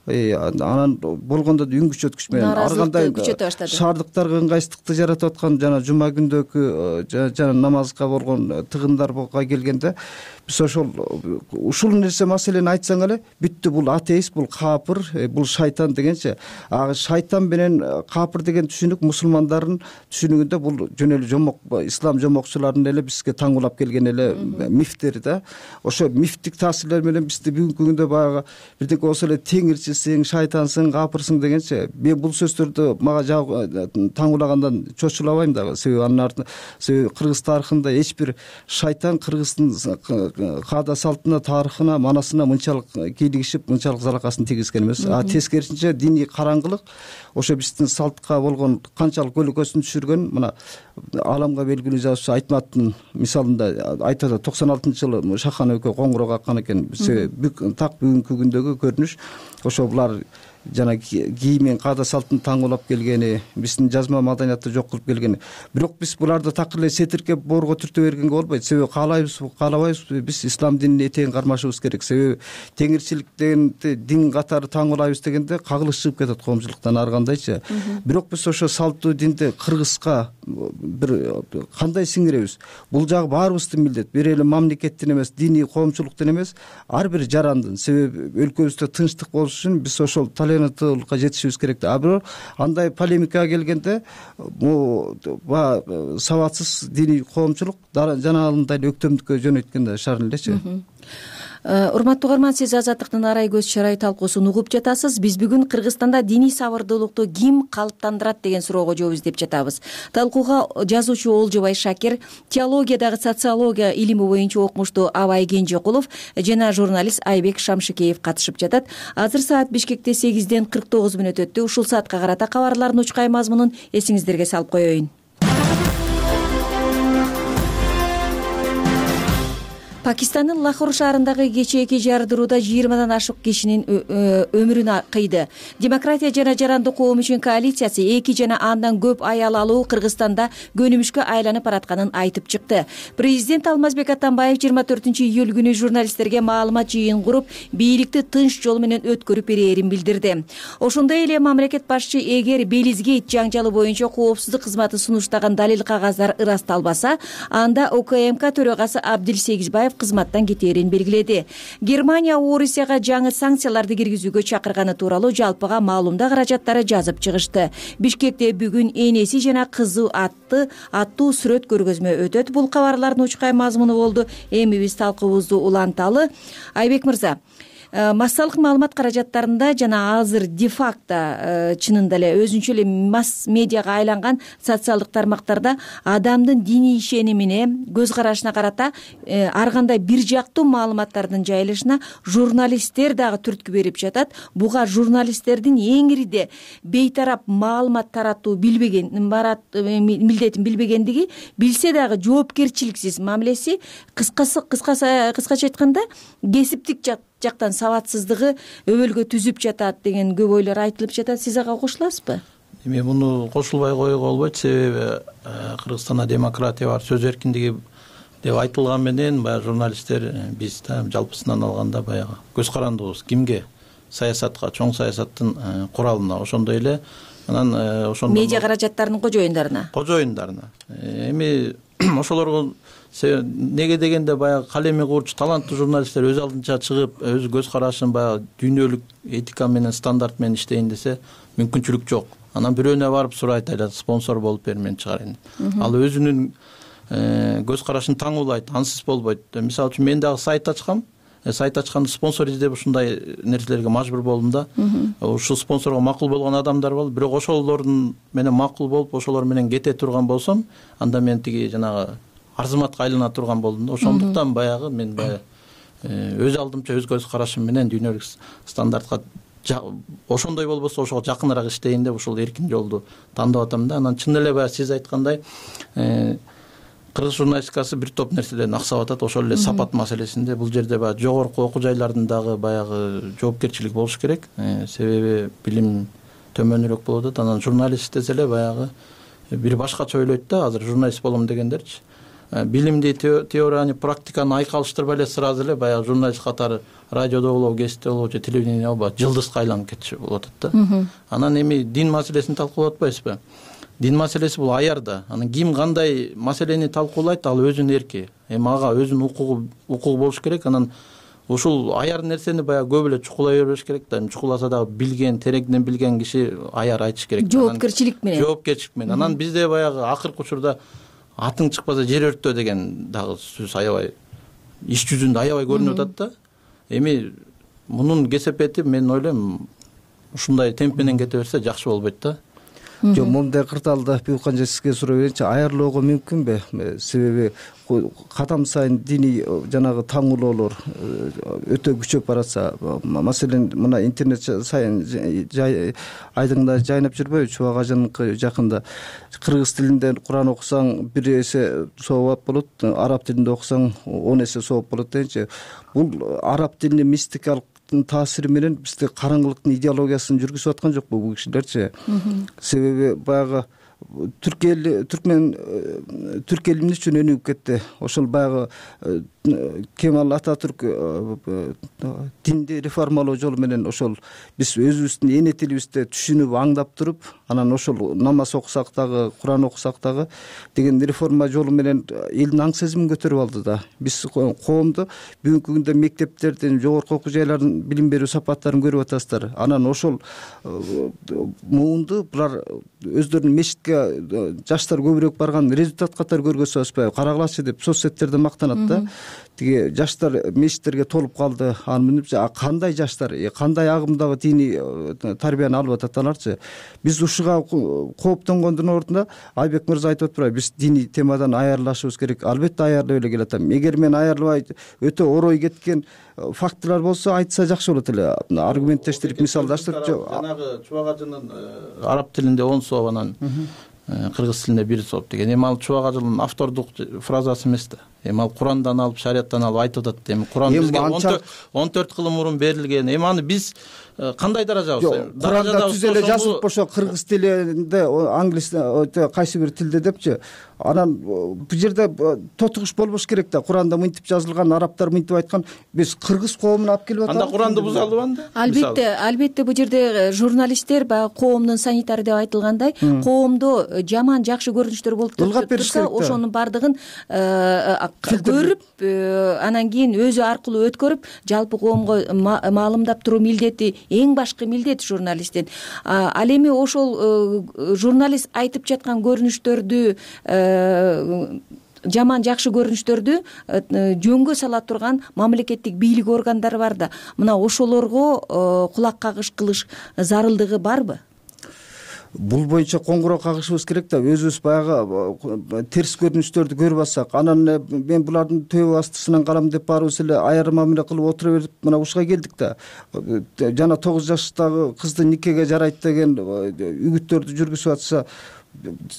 анан болгондо да үн күчөткүч менен ар кандай шаардыктарга ыңгайсыздыкты жаратып аткан, жана жума күндөгү жана намазга болгон тыгындарга келгенде биз ушул нерсе маселени айтсаң эле бүттү, бул атеист, бул капыр, бул шайтан дегенчи. Шайтан менен капыр деген түшүнүк мусулмандардын түшүнүгүндө бул жөн эле жомок, ислам жомокчуларынын эле бизге таңуулап келген эле мифтери да. Ошо мифтик таасирлер менен бизди бүгүнкү күндө баягы бирдеке болсо эле теңирчисиң, шайтансың, капырсың дегенчи. Мен бул сөздөрдү мага таңуулагандан чочулабайм дагы. Себеби анын артында Кыргыз тарыхында эч бир шайтан кыргыздын каада салтына, тарыхына, манасына мынчалык кийлигишип, мынчалык залакасын тийгизген эмес. Тескерисинче диний караңгылык ошо биздин салтка болгон канчалык көлөкөсүн түшүргөн, мына ааламга белгилүү жазуучу Айтматтын мисалында айтат, 96-жылы Шахан өкө коңгуроо каккан экен. Так бүгүнкү күндөгү көрүнүш ошо булар жана кийимин каада салтын таңуулап келгени, биздин жазма маданиятты жок кылып келгени. Бирок биз буларды такыр эле сетиркеп боорго түртө бергенге болбойт. Себеби каалайбызбы, каалабайбызбы, биз ислам динине этегин кармашыбыз керек. Себеби теңирчилик дегенди дин катары таңуулайбыз дегенде кагылыш чыгып кетет коомчулуктан ар кандайчы. Бирок биз ошо салттуу динди Кыргызга бир кандай сиңиребиз? Бул жагы баарыбыздын милдет. Бир эле мамлекеттин эмес, диний коомчулуктун эмес, ар бир жарандын. Себеби өлкөбүздө тынчтык болуш үчүн биз ошол толеранттуулукка жетишибиз керек. А бирок андай полемикага келгенде сабатсыз диний коомчулук жанагындай эле өктөмдүккө жөнөйткөн шаар элечи. Урматтуу угарман, сиз Азаттыктын арай көз чарай талкуусун угуп жатасыз. Биз бүгүн Кыргызстанда диний сабырдуулукту ким калыптандырат деген суроого жооп издеп жатабыз. Талкууга жазуучу Олжобай Шакир, теологиядагы социология илими боюнча окумуштуу Абай Кенжекулов жана журналист Айбек Шамшыкеев катышып жатат. Азыр саат Бишкекте 8:49 өттү. Ушул саатка карата кабарлардын учкай мазмунун эсиңиздерге салып коеюн. Пакистандын Лахор шаарындагы кечээки жардырууда 20дан ашык кишинин өмүрүн кыйды. Демократия жана жарандык коом үчүн коалициясы 2 жана андан көп аял алуу Кыргызстанда көнүмүшкө айланып баратканын айтып чыкты. Президент Алмазбек Атамбаев 24-июль күнү журналисттерге маалымат жыйын куруп, бийликти тынч жол менен өткөрүп берээрин билдирди. Ошондой эле мамлекет башчы эгер Белизгейт жаңжалы боюнча коопсуздук кызматы сунуштаган далил кагаздар ырасталбаса, анда УКМК төрагасы Абдил Сегизбаев кызматтан кетээрин белгиледи. Германия Орусияга жаңы санкцияларды киргизүүгө чакырганы тууралуу жалпыга маалымда каражаттары жазып чыгышты. Бишкекте бүгүн энеси жана кызы аттуу сүрөт көргөзмө өтөт. Бул кабарлардын учкай мазмуну болду. Эми биз талкуубузду уланталы. Айбек мырза, массалык маалымат каражаттарында жана азыр де-факто чынында эле өзүнчө эле масс медиага айланган социалдык тармактарда адамдын диний ишенимине, көз карашына карата ар кандай бир жактуу маалыматтардын жайылышына журналисттер дагы түрткү берип жатат. Буга журналисттердин эңириде бейтарап маалымат таратуу милдетин билбегендиги, билсе дагы жоопкерчиликсиз мамилеси, кыскача айтканда кесиптик жактан сабатсыздыгы өбөлгө түзүп жатат деген көп ойлор айтылып жатат. Сиз ага кошуласызбы? Эми муну кошулбай коюуга болбойт. Себеби Кыргызстанда демократия бар, сөз эркиндиги деп айтылган менен баягы журналисттер биз жалпысынан алганда баягы көз карандыбыз кимге? Саясатка, чоң саясаттын куралына, ошондой эле анан ошондо медиа каражаттарынын кожоюндарына. Эми ошолорго неге дегенде баягы калеми куурчу таланттуу журналисттер өз алдынча чыгып, өз көз карашын баягы дүйнөлүк этика менен, стандарт менен иштейин десе мүмкүнчүлүк жок. Анан бирөөнө барып сурайт, айла спонсор болуп бер, мен чыгарайын. Ал өзүнүн көз карашын таңуулайт, ансыз болбойт. Мисалы үчүн мен дагы сайт ачкам. Сайт ачканда спонсор издеп ушундай нерселерге мажбур болдум да. Ушул спонсорго макул болгон адамдар болду. Бирок ошолордун менен макул болуп, ошолор менен кете турган болсом, анда мен тиги жанагы арзыматка айлана турган болдум да. Ошондуктан баягы мен өз алдымча өз көз карашым менен дүйнөлүк стандартка ошондой болбосо ошого жакыныраак иштейин деп ушул эркин жолду тандап атам да. Анан чын эле баягы сиз айткандай кыргыз журналистикасы бир топ нерселерден аксап атат. Ошол эле сапат маселесинде бул жерде баягы жогорку окуу жайлардын дагы баягы жоопкерчилик болуш керек. Себеби билим төмөнүрөөк болуп атат. Анан журналист десе эле баягы бир башкача ойлойт да, азыр журналист болом дегендерчи. Билимди, теорияны, практиканы айкалыштырбай эле сразу эле баягы журналист катары радиодо болобу, гезитте болобу же телевидениеде болобу жылдызга айланып кетчү болуп атат да. Анан эми дин маселесин талкуулап атпайсызбы? Дин маселеси бул аярда. Анан ким кандай маселени талкуулайт, ал өзүнүн эрки. Эми ага өзүнүн укугу болуш керек. Анан ушул аяр нерсени баягы көп эле чукулай бербеш керек да. Чукуласа дагы билген, тереңден билген киши аяр айтыш керек. Жоопкерчилик менен. Анан бизде баягы акыркы учурда атың чыкпаса жер өрттө деген дагы сөз аябай иш жүзүндө аябай көрүнүп атат да. Эми мунун кесепети мен ойлойм ушундай темп менен кете берсе жакшы болбойт да. Жок, мындай кырдаалда Бюлкан сизге суроо берейинчи, аярлоого мүмкүнбү? Себеби кадам сайын диний жанагы таңуулоолор өтө күчөп баратса, маселен мына интернет сайын айдыңда жайнап жүрбөйбү? Чубак ажаныкы жакында кыргыз тилинде Куран окусаң 1 эсе сооп болот, араб тилинде окусаң 10 эсе сооп болот дегенчи. Бул араб тилини мистикалык таасири менен бизде караңгылыктын идеологиясын жүргүзүп аткан жокпу бул кишилерчи. Себеби баягы түрк эл эмне үчүн өнүгүп кетти? Ошол баягы Кемал Ататүрк динди реформалоо жолу менен ошол биз өзүбүздүн эне тилибизде түшүнүп аңдап туруп, анан ошол намаз окусак дагы, Куран окусак дагы деген реформа жолу менен элдин аң сезимин көтөрүп алды да. Биз коомду бүгүнкү күндө мектептердин, жогорку окуу жайлардын билим берүү сапаттарын көрүп атасыздар. Анан ошол муунду булар өздөрүнүн мечитке жаштар көбүрөөк барган результат катары көргөзүп атышпайбы? Карагылачы деп соц сеттерде мактанат да. Тиги жаштар мечиттерге толуп калды. Анын кандай жаштар, кандай агымдагы диний тарбияны алып атат аларчы? Биз ушуга кооптонгондун ордуна Айбек мырза айтып атпайбы? Биз диний темадан аярлашыбыз керек. Албетте аярлап эле келатам. Эгер мен аярылбай өтө орой кеткен фактылар болсо айтса жакшы болот эле. Аргументтештирип, мисалдаштырып. Жанагы Чубак ажынын араб тилинде 10 сооп, анан кыргыз тилинде 1 сооп деген. Эми ал Чубак ажынын автордук фразасы эмес да. Эми ал Курандан алып, шарияттан алып айтып атат. Эми Куран бизге 14 кылым мурун берилген. Эми аны биз кандай даражабыз? Куранда түз эле жазылып ошо кыргыз тилинде, англис кайсы бир тилде депчи. Анан бул жерде тотугуш болбош керек да. Куранда мынтип жазылган, арабтар мынтип айткан. Биз кыргыз коомун алып келип атабыз. Анда Куранды бузалдыбы анда? Албетте бул жерде журналисттер баягы коомдун санитары деп айтылгандай, коомдо жаман жакшы көрүнүштөр болуп турса, ошонун бардыгын көрүп, анан кийин өзү аркылуу өткөрүп, жалпы коомго маалымдап туруу милдети эң башкы милдет журналисттин. Ал эми ошол журналист айтып жаткан көрүнүштөрдү, жаман жакшы көрүнүштөрдү жөнгө сала турган мамлекеттик бийлик органдары бар да. Мына ошолорго кулак кагыш кылыш зарылдыгы барбы? Бул боюнча коңгуроо кагышыбыз керек да. Өзүбүз баягы терс көрүнүштөрдү көрүп атсак, анан мен булардын төбө астысынан карам деп баарыбыз эле айрым мамиле кылып отура берип мына ушуга келдик да. Жана 9 жаштагы кызды никеге жарайт деген үгүттөрдү жүргүзүп атса,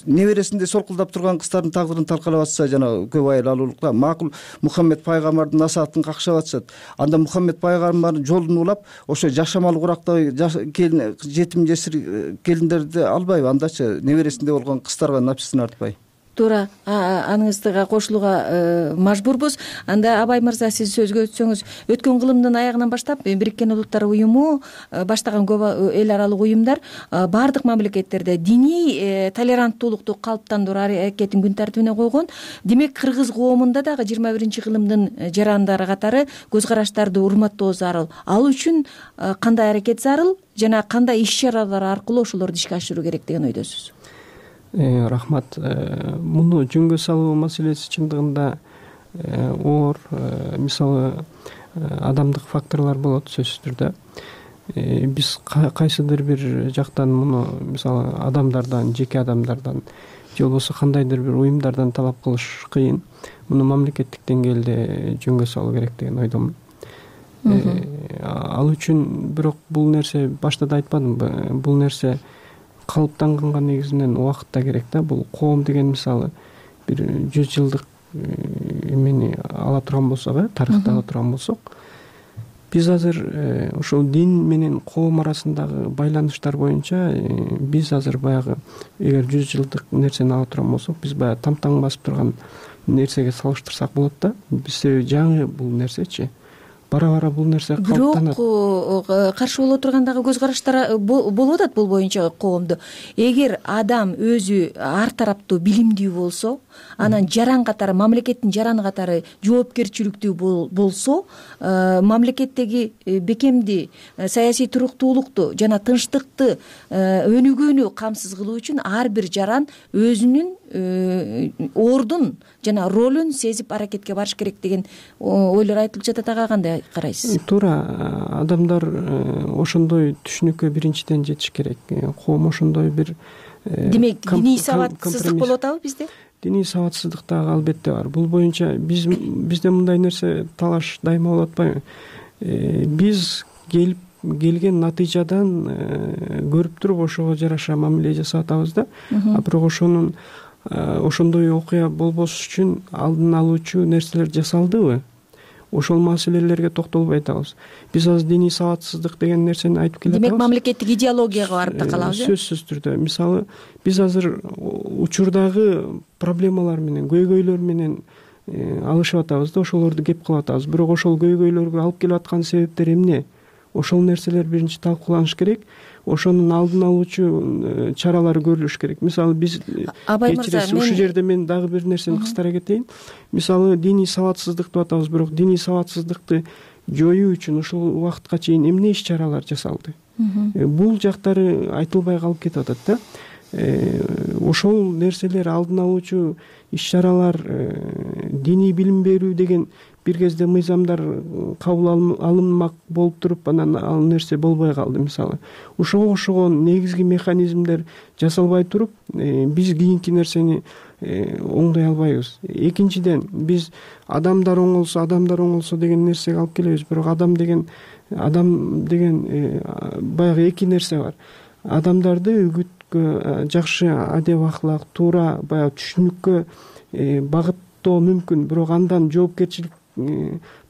небересинде солкулдап турган кыздардын тагдырын талкалап атса, жана көп айыл алуулукта макул Мухаммед пайгамбардын насаатын какшап атышат. Анда Мухаммед пайгамбардын жолун улап, ошо жашамал курактагы жетим жесир келиндерди албайбы? Андачы небересинде болгон кыздарга напсысын артпай. Туура, аныңыздыга кошулууга мажбурбуз. Анда Абай мырза, сиз сөзгө өтсөңүз, өткөн кылымдын аягынан баштап Бириккен Улуттар уюму баштаган көп эл аралык уюмдар баардык мамлекеттерде диний толеранттуулукту калыптандыруу аракетин күн тартибине койгон. Демек, кыргыз коомунда дагы 21-кылымдын жарандары катары көз караштарды урматтоо зарыл. Ал үчүн кандай аракет зарыл жана кандай иш-чаралар аркылуу ошолорду ишке ашыруу керек деген ойдосуз? Рахмат. Муну жөнгө салуу маселеси чындыгында оор, мисалы адамдык факторлор болот сөзсүз түрдө. Биз кайсыдыр бир жактан муну мисалы адамдардан, жеке адамдардан же болбосо кандайдыр бир уюмдардан талап кылыш кыйын. Муну мамлекеттик деңгээлде жөнгө салуу керек деген ойдомун. Ал үчүн бирок бул нерсе башта да айтпадымбы, бул нерсе калыптанганга негизинен убакыт да керек да. Бул коом деген мисалы бир 100 жылдык эмени ала турган болсок, тарыхты ала турган болсок, биз азыр ошол дин менен коом арасындагы байланыштар боюнча биз азыр баягы эгер 100 жылдык нерсени ала турган болсок, биз баягы тамтаң басып турган нерсеге салыштырсак болот да. Биз жаңы бул нерсечи. Бара-бара бул нерсе калыптанат. Бирок каршы боло турган дагы көз караштар болуп атат бул боюнча коомдо. Эгер адам өзү ар тараптуу билимдүү болсо, анан жаран катары, мамлекеттин жараны катары жоопкерчиликтүү болсо, мамлекеттеги бекемди, саясий туруктуулукту жана тынчтыкты өнүгүүнү камсыз кылуу үчүн ар бир жаран өзүнүн ордун жана ролун сезип аракетке барыш керек деген ойлор айтылып жатат. Ага кандай карайсыз? Туура, адамдар ошондой түшүнүккө биринчиден жетиш керек. Коом ошондой бир демек диний сабатсыздык болуп атабы бизде? Диний сабатсыздык дагы албетте бар. Бул боюнча бизде мындай нерсе талаш дайыма болуп атпайбы? Биз келген натыйжадан көрүп туруп ошого жараша мамиле жасап атабыз да. Бирок ошондой окуя болбош үчүн алдын алуучу нерселер жасалдыбы? ошол маселелерге токтолбой атабыз. Биз азыр диний сабатсыздык деген нерсени айтып келатабыз. Демек мамлекеттик идеологияга барып да калабыз. Сөзсүз түрдө. Мисалы биз азыр учурдагы проблемалар менен, көйгөйлөр менен алышып атабыз да, ошолорду кеп кылып атабыз. Бирок ошол көйгөйлөргө алып келип аткан себептер эмне? Ошол нерселер биринчи талкууланыш керек. Ошонун алдын алуучу чаралар көрүлүш керек. Мисалы биз ушул жерде мен дагы бир нерсени кыстара кетейин. Мисалы диний сабатсыздык деп атабыз, бирок диний сабатсыздыкты жоюу үчүн ушул убакытка чейин эмне иш чаралар жасалды? Бул жактары айтылбай калып кетип атат да. Ошол нерселер алдын алуучу иш чаралар, диний билим берүү деген бир кезде мыйзамдар кабыл алынмак болуп туруп, анан ал нерсе болбой калды. Мисалы ошого окшогон негизги механизмдер жасалбай туруп, биз кийинки нерсени оңдой албайбыз. Экинчиден, биз адамдар оңолсо деген нерсеге алып келебиз, бирок адам деген баягы эки нерсе бар. Адамдарды үгүткө, жакшы адеп ахлак, туура баягы түшүнүккө багыттоо мүмкүн, бирок андан жоопкерчилик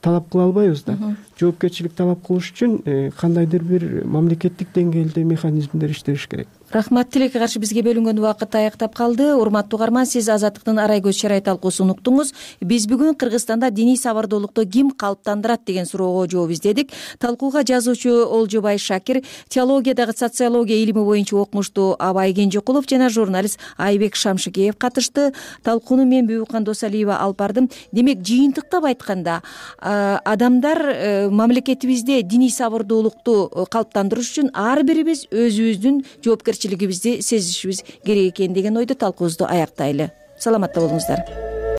талап кыла албайбыз да. Жоопкерчилик талап кылыш үчүн кандайдыр бир мамлекеттик деңгээлде механизмдер иштеш керек. Рахмат. Тилекке каршы бизге бөлүнгөн убакыт аяктап калды. Урматтуу угарман, сиз Азаттыктын Арай көз чарай талкуусун уктуңуз. Биз бүгүн Кыргызстанда диний сабырдуулукту ким калыптандырат деген суроого жооп издедик. Талкууга жазуучу Олжобай Шакир, теологиядагы социология илими боюнча окумуштуу Абай Кенжекулов жана журналист Айбек Шамшыкеев катышты. Талкууну мен Бүбүкан Досалиева алып бардым. Демек, жыйынтыктап айтканда, адамдар мамлекетибизде диний сабырдуулукту калыптандырыш үчүн ар бирибиз өзүбүздүн жоопкерчилигибизди сезишибиз керек экен деген ойдо талкуубузду аяктайлы. Саламатта болуңуздар.